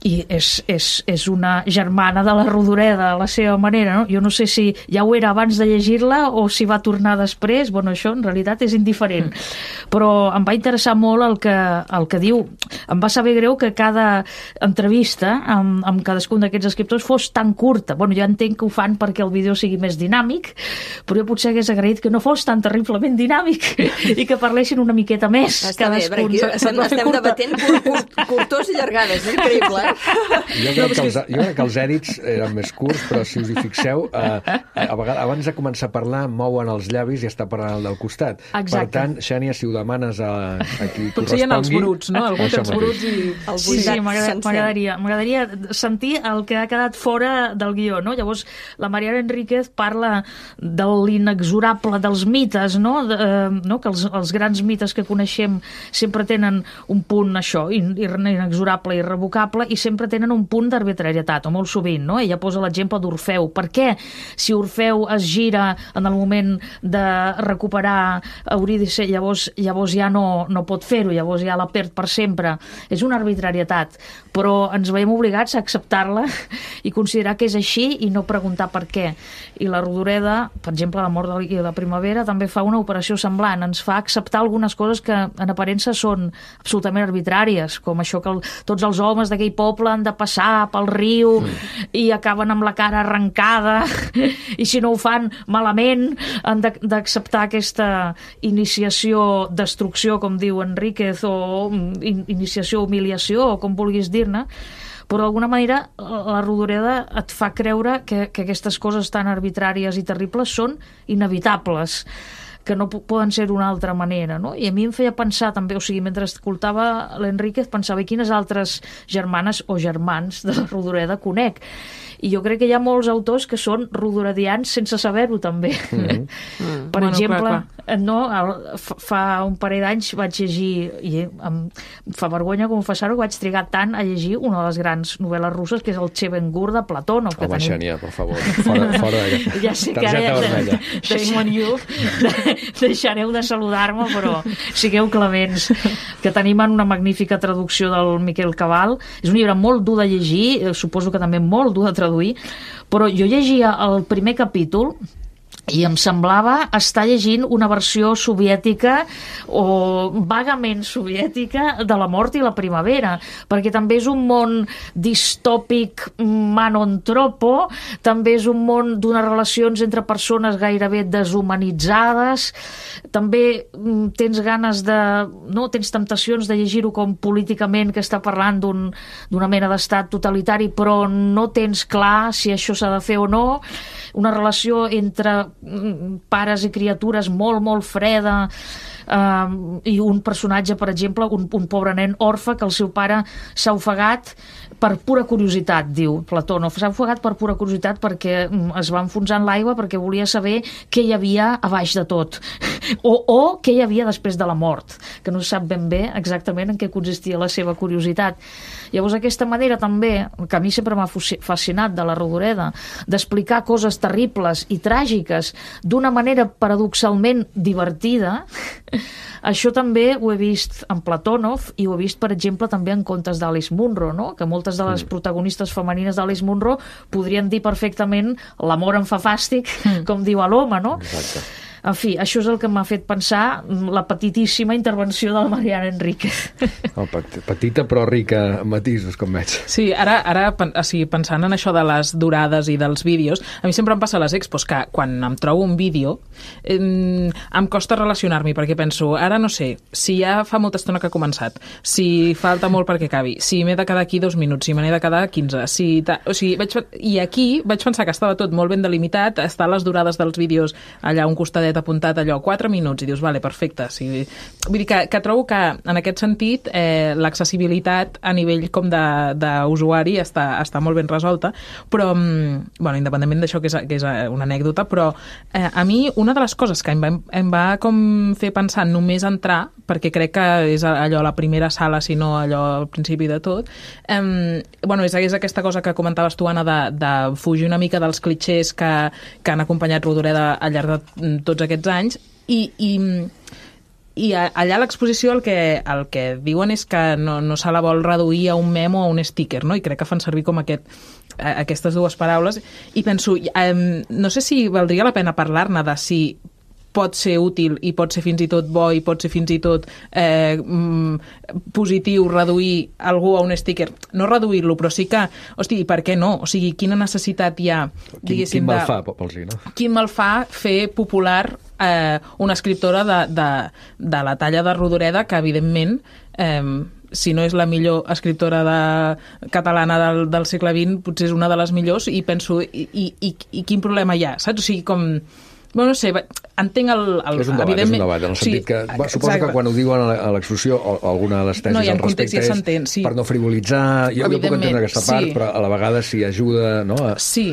Speaker 7: i és una germana de la Rodoreda a la seva manera, no? Jo no sé si ja ho era abans de llegir-la o si va tornar després, bueno, això en realitat és indiferent, però em va interessar molt el que diu. Em va saber greu que cada entrevista amb cadascun d'aquests escriptors fos tan curta. Bueno, jo entenc que ho fan perquè el vídeo sigui més dinàmic, però jo potser hagués agraït que no fos tan terriblement dinàmic i que parlessin una miqueta més.
Speaker 6: Està bé, perquè aquí estem debatent curtors i llargades, és increïble,
Speaker 1: Jo crec que els èdits eren més curts, però si us hi fixeu, a vegades, abans de començar a parlar, mouen els llavis i està parlant el del costat.
Speaker 7: Exacte.
Speaker 1: Per tant, Xènia, si ho demanes a qui
Speaker 5: potser hi ha els bruts, no? Algú té els bruts i...
Speaker 7: Sí, m'agradaria sentir el que ha quedat fora del guió, no? Llavors, la Mariana Enríquez parla de l'inexorable dels mites, no? Que els grans mites que coneixem sempre tenen un punt, això, inexorable, irrevocable, i sempre tenen un punt d'arbitrarietat, o molt sovint, no? Ella posa l'exemple d'Orfeu. Per què, si Orfeu es gira en el moment de recuperar Eurídice, llavors ja no pot fer-ho, llavors ja la perd per sempre? És una arbitrarietat, però ens veiem obligats a acceptar-la i considerar que és així i no preguntar per què. I la Rodoreda, per exemple, La mort i la primavera, també fa una operació semblant, ens fa acceptar algunes coses que en aparença són absolutament arbitràries, com això que tots els homes d'aquell poble han de passar pel riu i acaben amb la cara arrencada i si no ho fan malament han d'acceptar aquesta iniciació destrucció, com diu Enríquez, o iniciació humiliació, o com vulguis dir-ne, però d'alguna manera la Rodoreda et fa creure que aquestes coses tan arbitràries i terribles són inevitables, que no poden ser d'una altra manera, no? I a mi em feia pensar també, o sigui, mentre escoltava l'Enríquez, pensava quines altres germanes o germans de la Rodoreda conec. I jo crec que hi ha molts autors que són rodoredians sense saber-ho, també. Per exemple, fa un parell d'anys vaig llegir, i em fa vergonya confessar-ho, vaig trigar tant a llegir una de les grans novel·les russes, que és el Chevengur de Platònov.
Speaker 1: Home, Xènia, per favor, fora de...
Speaker 7: Ja sé que ara shame on you, deixareu de saludar-me, però sigueu clements, que tenim en una magnífica traducció del Miquel Cabal. És un llibre molt dur de llegir, suposo que també molt dur de traduir, però jo llegia el primer capítol i em semblava estar llegint una versió soviètica o vagament soviètica de La mort i la primavera, perquè també és un món distòpic manontropo, també és un món d'unes relacions entre persones gairebé deshumanitzades, també tens ganes de... no, tens temptacions de llegir-ho com políticament, que està parlant d'una mena d'estat totalitari, però no tens clar si això s'ha de fer o no, una relació entre pares i criatures molt, molt freda, i un personatge, per exemple, un pobre nen orfe que el seu pare s'ha ofegat per pura curiositat, diu Platònov. S'ha ofegat per pura curiositat perquè es va enfonsar en l'aigua, perquè volia saber què hi havia a baix de tot. O què hi havia després de la mort, que no se sap ben bé exactament en què consistia la seva curiositat. Llavors, aquesta manera també, que a mi sempre m'ha fascinat de la Rodoreda, d'explicar coses terribles i tràgiques d'una manera paradoxalment divertida, això també ho he vist en Platonov i ho he vist, per exemple, també en contes d'Alice Munro, no? Que moltes de les protagonistes femenines d'Alice Munro podrien dir perfectament l'amor em fa fàstic, com diu a l'home, no?
Speaker 1: Exacte.
Speaker 7: En fi, això és el que m'ha fet pensar la petitíssima intervenció de la Mariana Enríquez.
Speaker 1: Petita però rica en matisos, com veig.
Speaker 5: Sí, ara pensant en això de les durades i dels vídeos, a mi sempre em passa a les expos que quan em trobo un vídeo em costa relacionar-m'hi, perquè penso, ara no sé, si ja fa molta estona que ha començat, si falta molt perquè acabi, si m'he de quedar aquí 2 minuts, si me n'he de quedar 15, i aquí vaig pensar que estava tot molt ben delimitat, estar les durades dels vídeos allà un costadet apuntat allò, 4 minuts, i dius, vale, perfecte. Sí. Vull dir que trobo que, en aquest sentit, l'accessibilitat a nivell com d'usuari està molt ben resolta, però, bueno, independentment d'això que és una anècdota, però a mi una de les coses que em va com fer pensar només entrar, perquè crec que és allò la primera sala, si no allò al principi de tot, bueno, és aquesta cosa que comentaves tu, Anna, de fugir una mica dels clitxers que han acompanyat Rodoreda al llarg de tots aquests anys, i allà a l'exposició el que diuen és que no se la vol reduir a un memo o a un sticker, no? I crec que fan servir com aquestes dues paraules, i penso, no sé si valdria la pena parlar-ne de si pot ser útil i pot ser fins i tot bo i pot ser fins i tot positiu reduir algú a un sticker. No reduir-lo, però sí que, hosti, per què no? O sigui, quina necessitat hi ha, diguéssim,
Speaker 1: quin mal fa, vols dir, no? Quin
Speaker 5: mal fa fer popular una escriptora de la talla de Rodoreda, que evidentment si no és la millor escriptora catalana del segle XX, potser és una de les millors, i penso, i quin problema hi ha, saps? O sigui, com... Bueno, no sé, entenc
Speaker 1: és un debat, en el sentit que... Suposo que quan ho diuen a l'exposició, o alguna de les tesis al respecte és per no frivolitzar... Jo puc entendre aquesta part, però a la vegada si ajuda, no?
Speaker 5: Sí.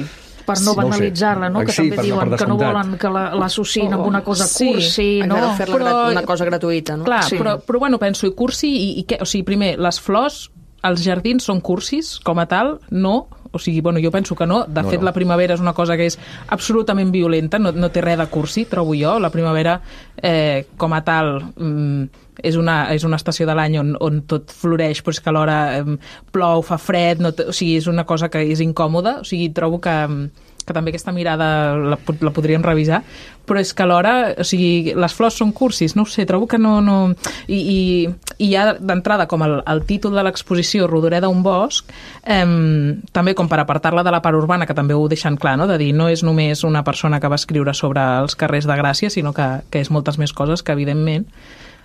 Speaker 7: Per no banalitzar-la, no? Que també diuen que no volen que l'associïn amb una cosa cursi, no?
Speaker 6: Fer-la una cosa gratuïta, no?
Speaker 5: Clar, però bueno, penso, i cursi, i què? O sigui, primer, les flors, els jardins són cursis, com a tal, no... O sigui, bueno, jo penso que no. De fet, la primavera és una cosa que és absolutament violenta, no té res de cursi, trobo jo. La primavera, com a tal, és una estació de l'any on tot floreix, però és que alhora plou, fa fred, o sigui, és una cosa que és incòmoda. O sigui, trobo que també aquesta mirada la podríem revisar, però és que alhora, o sigui, les flors són cursis, no ho sé, trobo que no... I ja d'entrada, com el títol de l'exposició, Rodoreda, un bosc, també com per apartar-la de la part urbana, que també ho deixen clar, no? De dir, no és només una persona que va escriure sobre els carrers de Gràcia, sinó que és moltes més coses que, evidentment...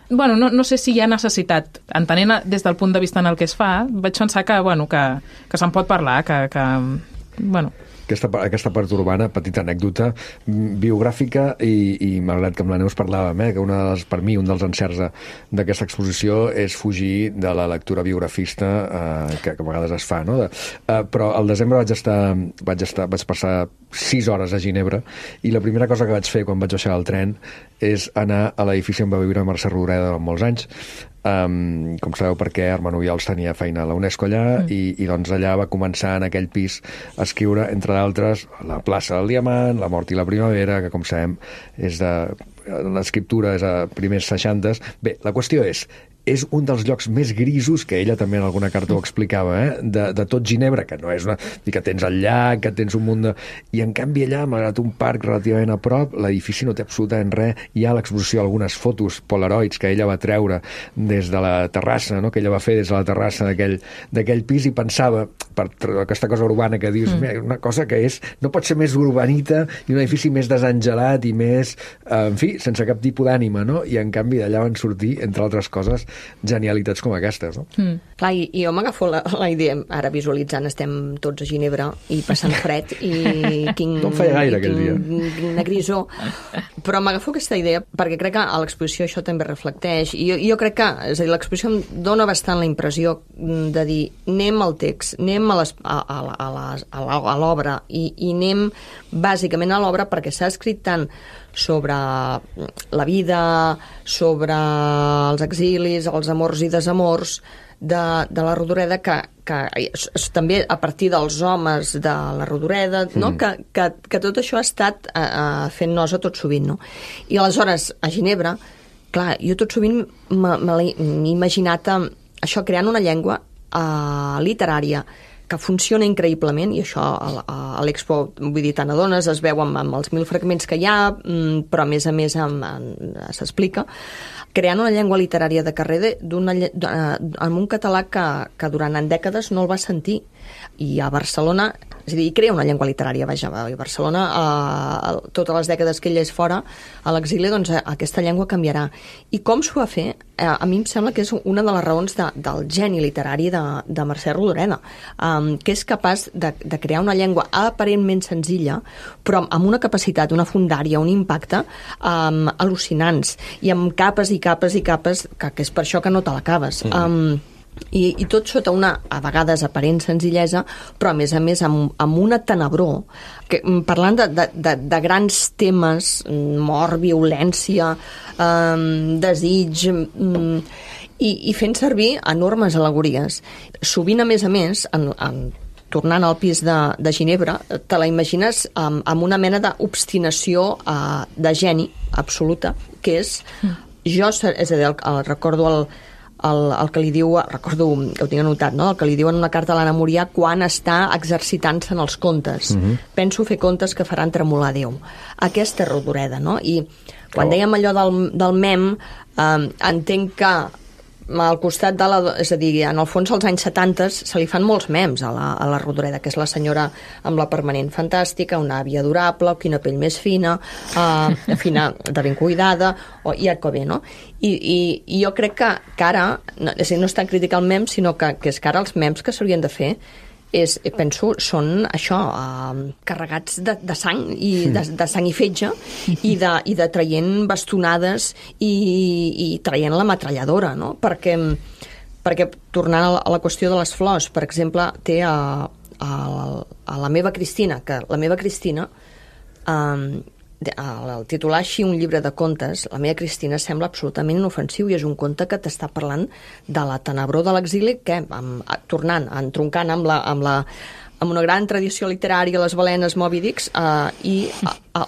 Speaker 5: Bueno, no sé si hi ha necessitat, entenent des del punt de vista en el que es fa, vaig pensar que se'n pot parlar, que bueno...
Speaker 1: Aquesta part urbana, petita anècdota biogràfica, i malgrat que amb la Neus parlàvem, que per mi un dels encerts d'aquesta exposició és fugir de la lectura biografista que a vegades es fa, no? Però al desembre vaig passar 6 hores a Ginebra, i la primera cosa que vaig fer quan vaig baixar del tren és anar a l'edifici on va viure Mercè Rodoreda durant molts anys. Com sabeu, perquè Armand Obiols tenia feina a la UNESCO allà, i doncs allà va començar en aquell pis a escriure, entre d'altres, La plaça del Diamant, La mort i la primavera, que com sabem l'escriptura és a primers 60s. Bé, la qüestió és un dels llocs més grisos, que ella també en alguna carta ho explicava, de tot Ginebra, que no és una... que tens el llac, que tens un munt de... I en canvi allà, malgrat un parc relativament a prop, l'edifici no té absolutament res. Hi ha a l'exposició algunes fotos polaroids que ella va treure des de la terrassa, no? Que ella va fer des de la terrassa d'aquell pis, i pensava, per aquesta cosa urbana que dius, una cosa que no pot ser més urbanita i un edifici més desangelat i més, en fi, sense cap tipus d'ànima, no? I en canvi d'allà van sortir, entre altres coses, genialitats com aquestes, no?
Speaker 6: Clar, i jo m'agafo la idea, ara visualitzant, estem tots a Ginebra i passant fred, i
Speaker 1: no feia gaire aquell dia.
Speaker 6: Quina grisó, però m'agafo aquesta idea perquè crec que a l'exposició això també reflecteix, i jo crec que, és a dir, l'exposició em dona bastant la impressió de dir, anem al text, anem a l'obra, i anem bàsicament a l'obra perquè s'ha escrit tant sobre la vida, sobre els exilis, els amors i desamors de la Rodoreda, que també a partir dels homes de la Rodoreda, no? que tot això ha estat fent nosa tot sovint. No? I aleshores, a Ginebra, clar, jo tot sovint m'he imaginat això, creant una llengua literària que funciona increïblement, i això a l'Expo, vull dir, te n'adones, es veu amb els 1000 fragments que hi ha, però a més s'explica, creant una llengua literària de carrer amb un català que durant dècades no el va sentir. I a Barcelona, és a dir, crea una llengua literària, vaja, a Barcelona, totes les dècades que ell és fora, a l'exili, doncs aquesta llengua canviarà. I com s'ho va fer? A mi em sembla que és una de les raons del geni literari de Mercè Rodoreda, que és capaç de crear una llengua aparentment senzilla, però amb una capacitat, una fondària, un impacte al·lucinants, i amb capes i capes i capes, que és per això que no te l'acabes. I tot sota una, a vegades, aparent senzillesa, però a més amb una tenebror, que, parlant de grans temes, mort, violència, desig, i fent servir enormes al·legories. Sovint, a més, tornant al pis de Ginebra, te la imagines amb una mena d'obstinació de geni absoluta, que és és a dir, recordo el que li diu, recordo que ho tinc anotat, no? El que li diu en una carta a l'Anna Murià quan està exercitant-se en els contes. Penso fer contes que faran tremolar Déu. Aquesta és Rodoreda, no? I quan dèiem allò del mem, entenc que al costat de és a dir, en el fons als anys 70 se li fan molts mems a la Rodoreda, que és la senyora amb la permanent fantàstica, una àvia adorable, quina pell més fina, fina de ben cuidada, i et bé, no? I jo crec que ara, és a dir, no és tan crític el mem, sinó que és que ara els mems que s'haurien de fer penso, són això, carregats de sang i de sang i fetge, i de traient bastonades i traient la metralladora, no? Perquè tornant a la qüestió de les flors, per exemple, té a la meva Cristina, que la meva Cristina, al titular així un llibre de contes, la meva Cristina sembla absolutament inofensiu, i és un conte que t'està parlant de la tenebror de l'exili, que entroncant amb una gran tradició literària, les balenes, Moby Dicks, i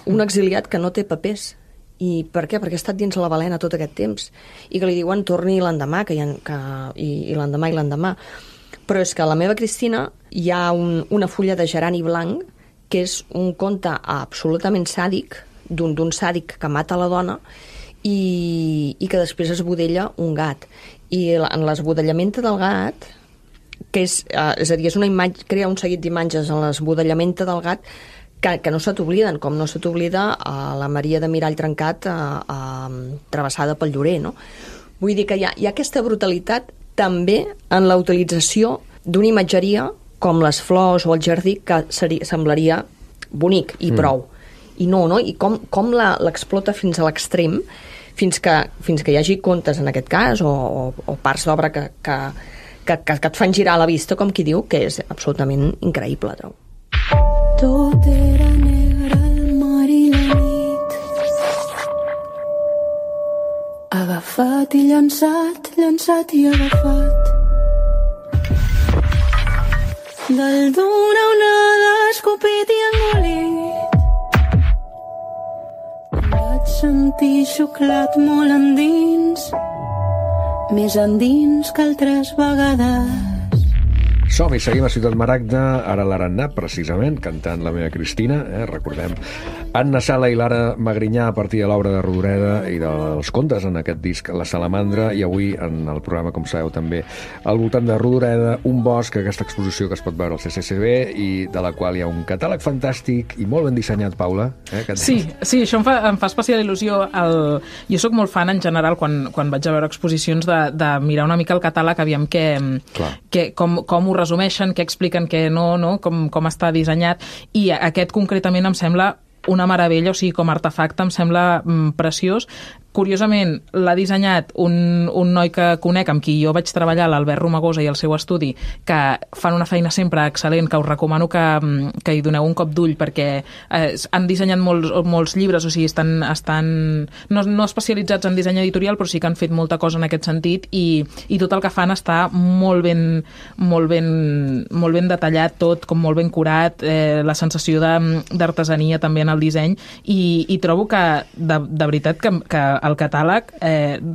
Speaker 6: un exiliat que no té papers. I per què? Perquè ha estat dins la balena tot aquest temps, i que li diuen torni l'endemà, i l'endemà i l'endemà. Però és que a la meva Cristina hi ha una fulla de gerani blanc, que és un conte absolutament sàdic, d'un sàdic que mata la dona i que després esbudella un gat. I en l'esbudellament del gat, que és a dir, és una imatge, crea un seguit d'imatges en l'esbudellament del gat que no se t'obliden, com no se t'oblida a la Maria de Mirall Trencat travessada pel Llorer, no? Vull dir que hi ha aquesta brutalitat també en la utilització d'una imatgeria com les flors o el jardí, que semblaria bonic i prou. I no? I com l'explota fins a l'extrem, fins que hi hagi contes, en aquest cas, o parts d'obra que et fan girar la vista, com qui diu, que és absolutament increïble, trobo.
Speaker 4: Tot era negre al mar i la nit, agafat i llançat, llançat i agafat. Dalt d'una onada escopit i engolit, vaig sentir xuclat molt endins, més endins que altres vegades.
Speaker 1: Som-hi, seguim a Ciutat Maragda, ara l'Arannà, precisament, cantant La meva Cristina, recordem. Anna Sala i Lara Magrinyà a partir de l'obra de Rodoreda i dels contes en aquest disc La Salamandra, i avui en el programa, com sabeu, també al voltant de Rodoreda, un bosc, aquesta exposició que es pot veure al CCCB i de la qual hi ha un catàleg fantàstic i molt ben dissenyat, Paula.
Speaker 5: Sí, això em fa especial il·lusió. Jo sóc molt fan, en general, quan vaig a veure exposicions, de mirar una mica el catàleg, aviam com ho resumeixen, què expliquen, què no, com està dissenyat, i aquest concretament em sembla una meravella, o sigui, com a artefacte em sembla preciós. curiosament, l'ha dissenyat un noi que conec, amb qui jo vaig treballar, l'Albert Romagosa, i el seu estudi, que fan una feina sempre excel·lent, que us recomano que hi doneu un cop d'ull, perquè han dissenyat molts llibres, o sigui, estan no especialitzats en disseny editorial, però sí que han fet molta cosa en aquest sentit, i tot el que fan està molt ben detallat tot, com molt ben curat, la sensació d'artesania també en el disseny, i trobo que de veritat que el catàleg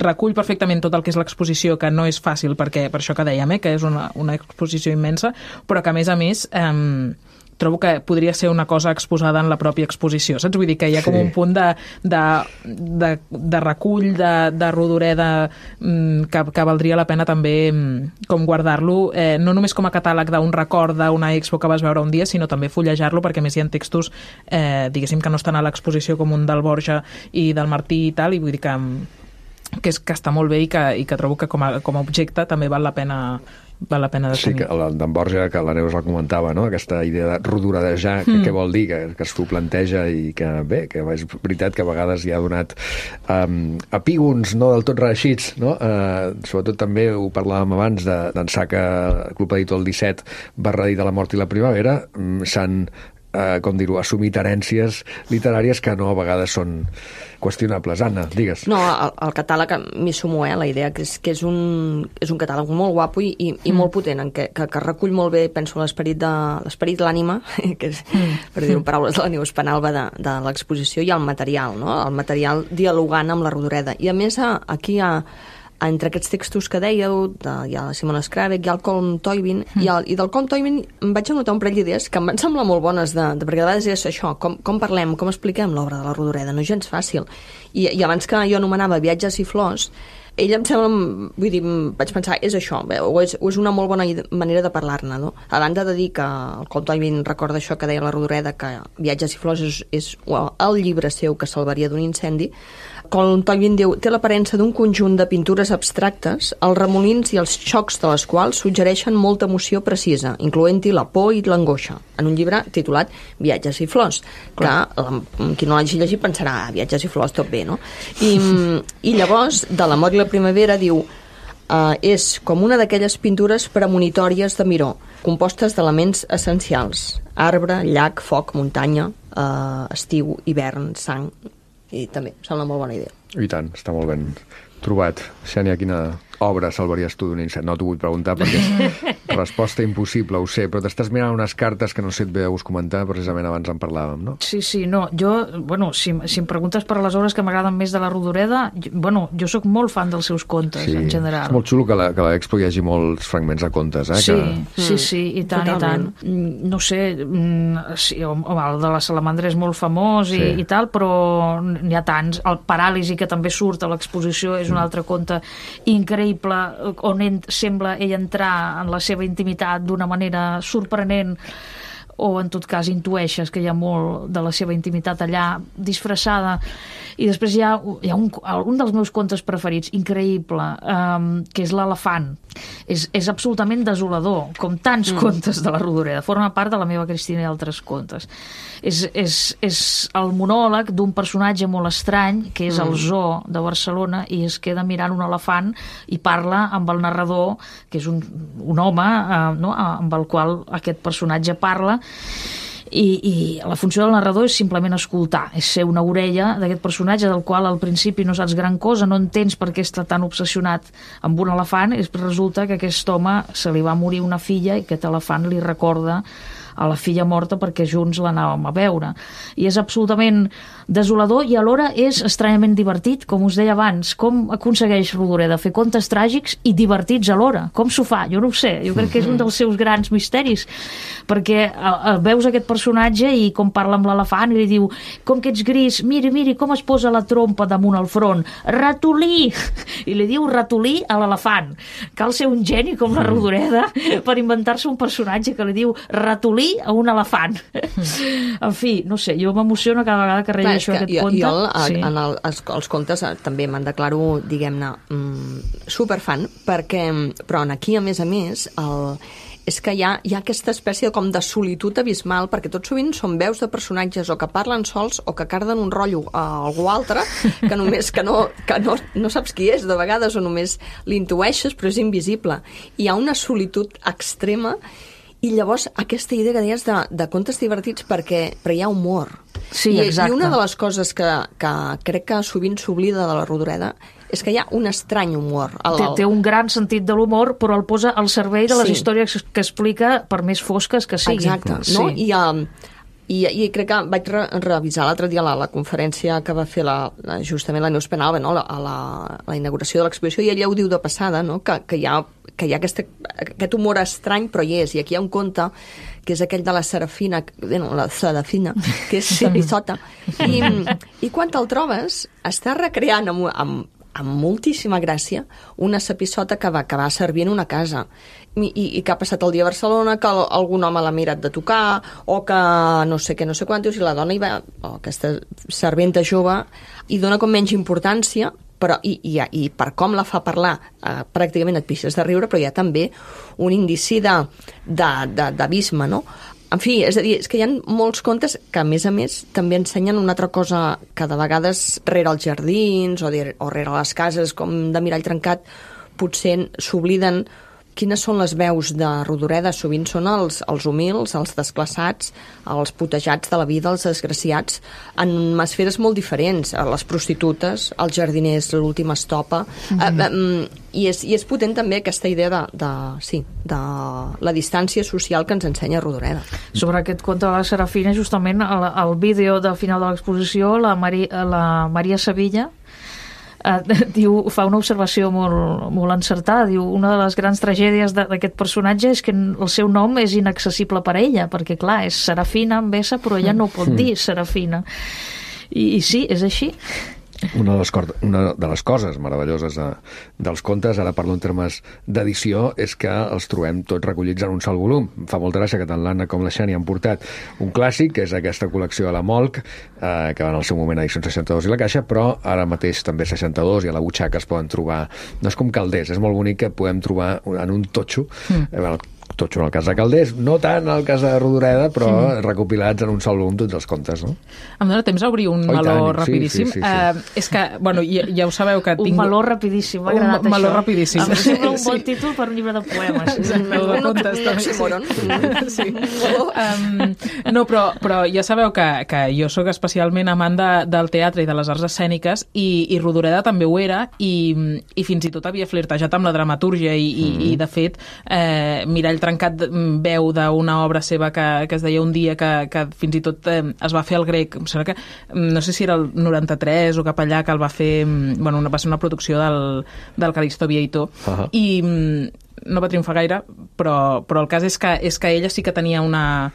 Speaker 5: recull perfectament tot el que és l'exposició, que no és fàcil, perquè per això que dèiem, que és una exposició immensa, però que a més trobo que podria ser una cosa exposada en la pròpia exposició, saps? Vull dir que hi ha com un punt de recull, de rodoreda, que valdria la pena també com guardar-lo, no només com a catàleg d'un record d'una expo que vas veure un dia, sinó també fullejar-lo, perquè a més hi ha textos, diguéssim, que no estan a l'exposició, com un del Borja i del Martí i tal, i vull dir que està molt bé, i que trobo que com a objecte també val la pena de tenir.
Speaker 1: Sí, que d'en Borja, que la Neus la comentava, no? Aquesta idea de rodorejar, què vol dir, que es planteja, i que bé, que és veritat que a vegades hi ha donat epígons no del tot reeixits, no? Sobretot també ho parlàvem abans d'en Saca, Club Editor el 17, /de la mort i la primavera, s'han com dir-ho, assumit herències literàries que no a vegades són qüestionables. Anna, digues.
Speaker 6: No, el catàleg m'hi sumo, la idea que és un catàleg molt guapo i molt potent, que recull molt bé, penso, l'esperit de l'ànima, que és, per dir-ho en paraules de la Neus Penalba, de l'exposició, i el material, no? El material dialogant amb la rodoreda. I a més, aquí entre aquests textos que dèieu, hi ha la Simona Skravek, hi ha el Colm Toibin, i del Colm Toibin em vaig anotar un parell d'idees que em van semblar molt bones, perquè a vegades és això, com parlem, com expliquem l'obra de la rodoreda, no és gens fàcil. I abans que jo anomenava Viatges i flors, ell em sembla, vull dir, vaig pensar, és això, o és una molt bona manera de parlar-ne, no? A banda de dir que el Colm Toibin recorda això que deia la rodoreda, que Viatges i flors és el llibre seu que salvaria d'un incendi. Colm Toibin diu, té l'aparença d'un conjunt de pintures abstractes, els remolins i els xocs de les quals suggereixen molta emoció precisa, incloent-hi la por i l'angoixa, en un llibre titulat Viatges i flors, que qui no l'hagi llegit pensarà, Viatges i flors, tot bé, no? I llavors, de la mort i la primavera, diu, és com una d'aquelles pintures premonitòries de Miró, compostes d'elements essencials, arbre, llac, foc, muntanya, estiu, hivern, sang. I també em sembla molt bona idea.
Speaker 1: I tant, està molt ben trobat. Xènia, quina obra salvaries tu d'un incendi? No t'ho vull preguntar perquè és resposta impossible, ho sé, però t'estàs mirant unes cartes que no sé et ve de gust comentar, precisament abans en parlàvem, no?
Speaker 7: Sí, no, jo, si em preguntes per les obres que m'agraden més de la Rodoreda, jo sóc molt fan dels seus contes, en general.
Speaker 1: És molt xulo que a l'Expo hi hagi molts fragments de contes,
Speaker 7: Sí, i tant, totalment. I tant. No sé, el de la Salamandra és molt famós i tal, però n'hi ha tants. El Paràlisi, que també surt a l'exposició, és un altre conte increïble, on sembla ell entrar en la seva intimitat d'una manera sorprenent, o en tot cas intueixes que hi ha molt de la seva intimitat allà disfressada. I després hi ha un dels meus contes preferits, increïble, que és l'Elefant. És absolutament desolador, com tants contes de la Rodoreda. Forma part de la meva Cristina i altres contes. És el monòleg d'un personatge molt estrany, que és el Zoo de Barcelona, i es queda mirant un elefant i parla amb el narrador, que és un home, amb el qual aquest personatge parla, i la funció del narrador és simplement escoltar, és ser una orella d'aquest personatge del qual al principi no saps gran cosa, no entens per què està tan obsessionat amb un elefant, i resulta que aquest home se li va morir una filla i aquest elefant li recorda a la filla morta perquè junts l'anàvem a veure. I és absolutament desolador i alhora és estranyament divertit, com us deia abans. Com aconsegueix Rodoreda fer contes tràgics i divertits alhora? Com s'ho fa? Jo no ho sé. Jo crec que és un dels seus grans misteris, perquè veus aquest personatge i com parla amb l'elefant i li diu, com que ets gris, miri com es posa la trompa damunt el front, ratolí! I li diu ratolí a l'elefant. Cal ser un geni com la Rodoreda per inventar-se un personatge que li diu ratolí a un elefant. En fi, no sé, jo m'emociono cada vegada que rellegeixo aquest conte.
Speaker 6: Jo els contes també me'n declaro, diguem-ne, superfan, però aquí, a més, és que hi ha aquesta espècie com de solitud abismal, perquè tot sovint són veus de personatges o que parlen sols o que carden un rotllo a algú altre que només que no saps qui és de vegades, o només l'intueixes però és invisible. Hi ha una solitud extrema. I llavors aquesta idea que deies de contes divertits però hi ha humor.
Speaker 7: Sí, exacte.
Speaker 6: I una de les coses que crec que sovint s'oblida de la Rodoreda és que hi ha un estrany humor.
Speaker 7: Té un gran sentit de l'humor, però el posa al servei de les històries que explica, per més fosques que siguin.
Speaker 6: Exacte. No? I crec que vaig revisar l'altre dia la conferència que va fer justament la Neus Penalba, no? a la inauguració de l'exposició, i ella ho diu de passada, no? que hi ha aquest humor estrany, però hi és. I aquí hi ha un conte que és aquell de la Serafina, que és Serifota. I quan te'l trobes, està recreant amb moltíssima gràcia una sapissota que va servir en una casa i que ha passat el dia a Barcelona, que algun home l'ha mirat de tocar, o que no sé què, no sé quantos, i la dona aquesta serventa jove, i dona com menys importància, però i per com la fa parlar pràcticament et pixes de riure, però hi ha també un indici d'abisme, no? En fi, és a dir, és que hi ha molts contes que, a més, també ensenyen una altra cosa que de vegades rere els jardins o rere les cases, com de mirall trencat, potser s'obliden quines són les veus de Rodoreda. Sovint són els humils, els desclassats, els putejats de la vida, els desgraciats, en esferes molt diferents, les prostitutes, els jardiners, l'última estopa, i és potent també aquesta idea de la distància social que ens ensenya Rodoreda.
Speaker 7: Sobre aquest conte de la Serafina, justament al vídeo del final de l'exposició, la Maria Sevilla fa una observació molt encertada. Diu, una de les grans tragèdies d'aquest personatge és que el seu nom és inaccessible per a ella, perquè clar, és Serafina amb S, però ella no pot dir Serafina. I sí, és així.
Speaker 1: Una de les coses meravelloses dels contes, ara parlo en termes d'edició, és que els trobem tots recollits en un sol volum. Fa molta gràcia que tant l'Anna com la Xani han portat un clàssic, que és aquesta col·lecció de la Molc, que va en el seu moment a edicions 62 i la Caixa, però ara mateix també 62 i a la butxaca es poden trobar. No és com Calders, és molt bonic que podem trobar en un totxo, totxo en el cas de Calders, no tant en el cas de Rodoreda, però recopilats en un sol volum tots els contes, no?
Speaker 5: Em dóna temps a obrir un meló rapidíssim.
Speaker 1: Sí.
Speaker 5: És que, bueno, ja ho sabeu que tinc...
Speaker 7: Un meló rapidíssim, m'ha agradat això.
Speaker 5: Un meló rapidíssim.
Speaker 7: Em sembla un bon títol per un llibre de poemes.
Speaker 5: Meló de contes, també. No, però ja sabeu que jo sóc especialment amant del teatre i de les arts escèniques, i Rodoreda també ho era, i fins i tot havia flirtejat amb la dramatúrgia, i de fet, Mirall Trencat veu d'una obra seva que es deia Un dia, que fins i tot es va fer al grec. Em sembla que, no sé si era el 93 o cap allà, que el va fer, bueno, va ser una producció del Calixto Vieito. I no va triomfar gaire, però el cas és que ella sí que tenia una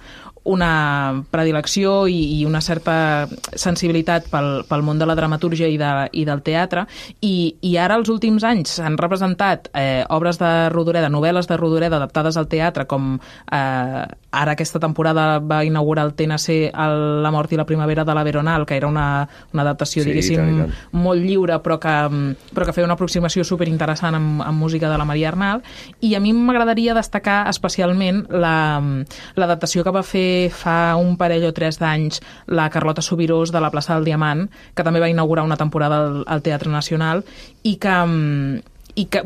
Speaker 5: predilecció i una certa sensibilitat pel món de la dramatúrgia i del teatre, i ara els últims anys s'han representat obres de Rodoreda, novel·les de Rodoreda adaptades al teatre, com ara aquesta temporada va inaugurar el TNC La mort i la primavera de la Veronal, que era una adaptació, diguéssim, molt lliure, però que feia una aproximació superinteressant amb música de la Maria Arnal. I a mi m'agradaria destacar especialment l'adaptació que va fer fa un parell o 3 d'anys la Carlota Subirós de la plaça del Diamant, que també va inaugurar una temporada al Teatre Nacional, i que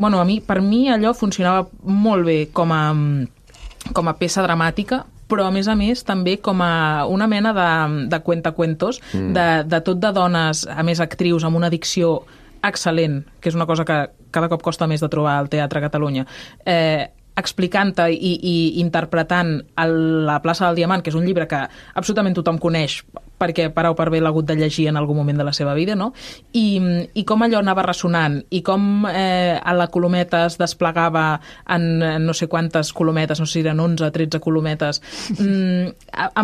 Speaker 5: bueno, per mi allò funcionava molt bé com a peça dramàtica, però a més també com a una mena de cuentacuentos, de tot de dones, a més actrius, amb una dicció excel·lent, que és una cosa que cada cop costa més de trobar al Teatre a Catalunya, explicant-te i interpretant La plaça del Diamant, que és un llibre que absolutament tothom coneix, perquè per A o per B l'ha hagut de llegir en algun moment de la seva vida, no? I com allò anava ressonant, i com a la colometa es desplegava en no sé quantes colometes, no sé si eren 11 o 13 colometes. Em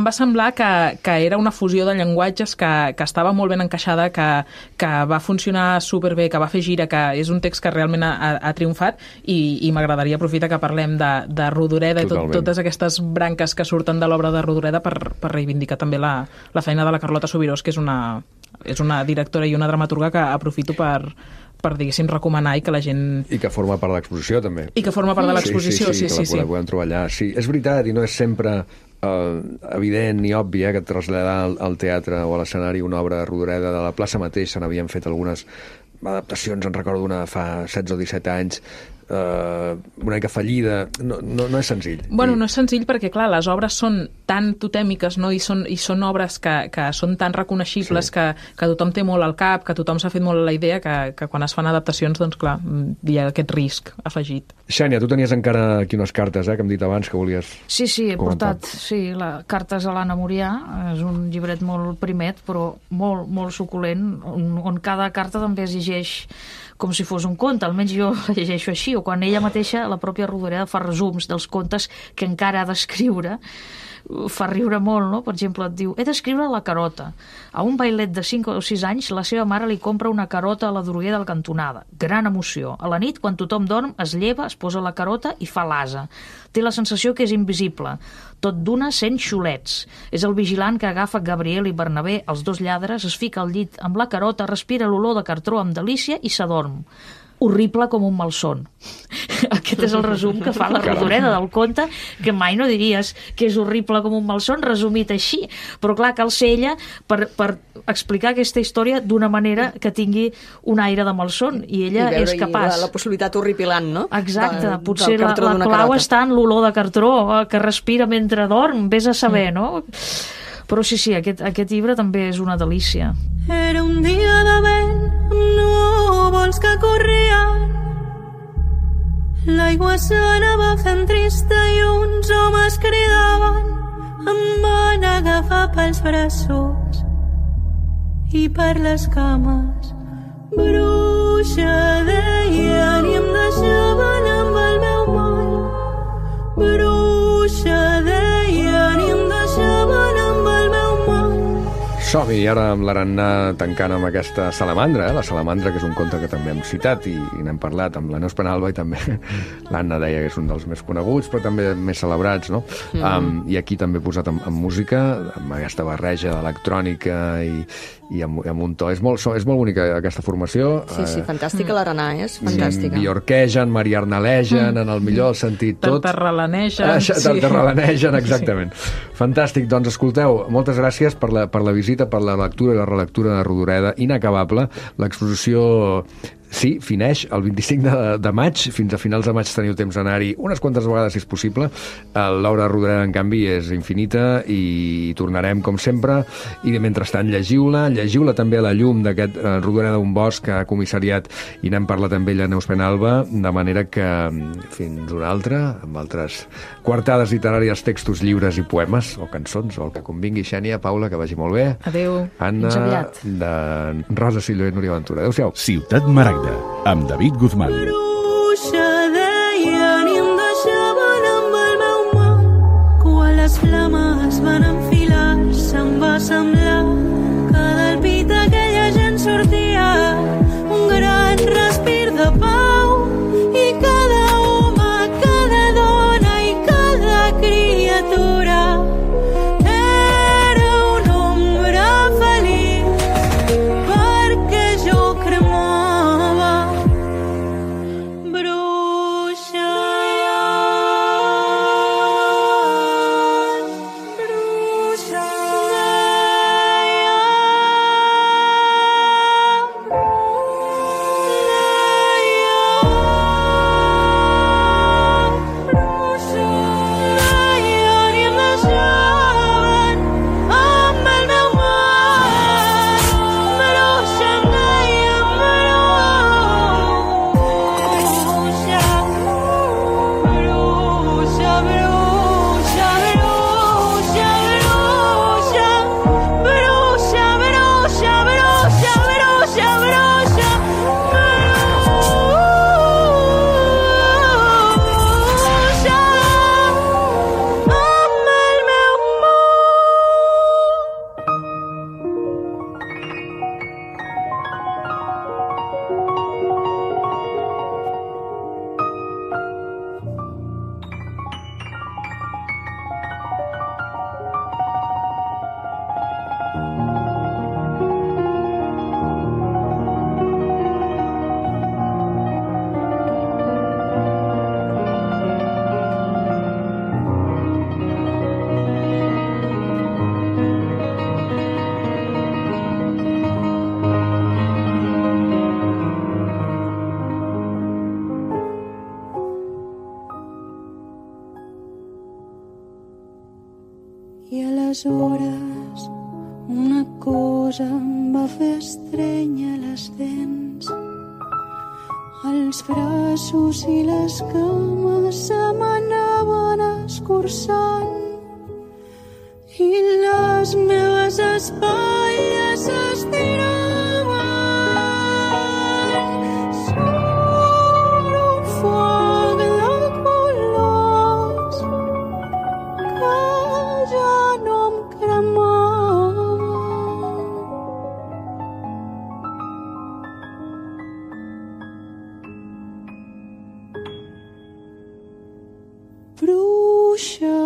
Speaker 5: va semblar que era una fusió de llenguatges que estava molt ben encaixada, que va funcionar superbé, que va fer gira, que és un text que realment ha triomfat, i m'agradaria aprofitar que parlem de Rodoreda i totes aquestes branques que surten de l'obra de Rodoreda per reivindicar també la feina de la Carlota Subirós, que és una directora i una dramaturga que aprofito per diguéssim, recomanar i que la gent...
Speaker 1: I que forma part de l'exposició, també.
Speaker 5: I que forma part de l'exposició, sí.
Speaker 1: Que la podem trobar allà. Sí, és veritat, i no és sempre evident ni obvi que traslladar al teatre o a l'escenari una obra de Rodoreda. De la plaça mateix se n'havien fet algunes adaptacions, en recordo una fa 16 o 17 anys, una mica fallida. No és senzill.
Speaker 5: Bueno, no és senzill perquè, clar, les obres són tan totèmiques, no? I són obres que són tan reconeixibles, sí, que tothom té molt al cap, que tothom s'ha fet molt la idea, que quan es fan adaptacions, doncs clar, hi ha aquest risc afegit.
Speaker 1: Xènia, tu tenies encara aquí unes cartes, que hem dit abans que volies
Speaker 7: Sí, he
Speaker 1: comentar.
Speaker 7: portat cartes a l'Anna Murià. És un llibret molt primet, però molt, molt suculent, on cada carta també es llegeix com si fos un conte, almenys jo la llegeixo així, o quan ella mateixa, la pròpia Rodoreda, fa resums dels contes que encara ha d'escriure. Fa riure molt, no? Per exemple, et diu: he d'escriure la carota. A un bailet de 5 o 6 anys, la seva mare li compra una carota a la droguer del cantonada. Gran emoció. A la nit, quan tothom dorm, es lleva, es posa la carota i fa l'asa. Té la sensació que és invisible. Tot d'una sent xulets. És el vigilant que agafa Gabriel i Bernabé, els dos lladres, es fica al llit amb la carota, respira l'olor de cartró amb delícia i s'adorm. Horrible com un malson. Aquest és el resum que fa la Rodoreda del conte, que mai no diries que és horrible com un malson, resumit així. Però clar, cal ser ella per explicar aquesta història d'una manera que tingui un aire de malson, i ella és capaç.
Speaker 6: La possibilitat horripilant, no?
Speaker 7: Exacte, potser la clau està en l'olor de cartró que respira mentre dorm, vés a saber, no? Però sí, aquest llibre també és una delícia.
Speaker 4: Era un dia de vent amb núvols que corrien. L'aigua s'anava fent trista i uns homes cridaven. Em van agafar pels braços i per les cames. Bruixa, deien, i em deixaven amb el meu mal. Bruixa, deien, i em deixaven amb el meu mal.
Speaker 1: Som-hi, ara amb l'Arannà tancant amb aquesta salamandra, la salamandra, que és un conte que també hem citat i n'hem parlat amb la Neus Penalba, i també l'Anna deia que és un dels més coneguts, però també més celebrats, no? I aquí també posat amb música, amb aquesta barreja d'electrònica i amb un to. És molt bonica aquesta formació.
Speaker 6: Sí, fantàstica l'Arannà, és fantàstica.
Speaker 1: Biorquegen, mariarnalegen, en el millor sentit tot.
Speaker 5: Tartarralanegen.
Speaker 1: Tartarralanegen, exactament. Fantàstic, doncs escolteu, moltes gràcies per la visita, per la lectura i la relectura de Rodoreda, inacabable. L'exposició sí, fineix el 25 de maig. Fins a finals de maig teniu temps d'anar-hi unes quantes vegades, si és possible. L'obra de Rodoreda, en canvi, és infinita i tornarem, com sempre. I mentrestant, llegiu-la també a la llum d'aquest Rodoreda d'un bosc que ha comissariat, i n'hem parlat amb ella, Neus Penalba, de manera que fins una altra, amb altres quartades literàries, textos lliures i poemes, o cançons, o el que convingui. Xènia, Paula, que vagi molt bé.
Speaker 5: Adéu.
Speaker 1: Anna,
Speaker 7: fins aviat.
Speaker 1: de Rosa Silló i Núria Ventura. Adéu-siau.
Speaker 2: Ciutat Maragda, amb David Guzmán.
Speaker 4: Bruixa, deien, i em deixaven amb el meu mal. Quan les flames van enfilar-se, em va semblar que del pit aquella gent sortia un gran respir de pau, i cada home, cada dona i cada criatura era una ombra feliç, perquè jo cremava. Bruixa, aleshores una cosa em va fer estrènyer les dents. Els braços i les cames se m'anaven escurçant i les meves espatlles s'estiraven sobre un foc de colors que ja no em cremava. Bruixa,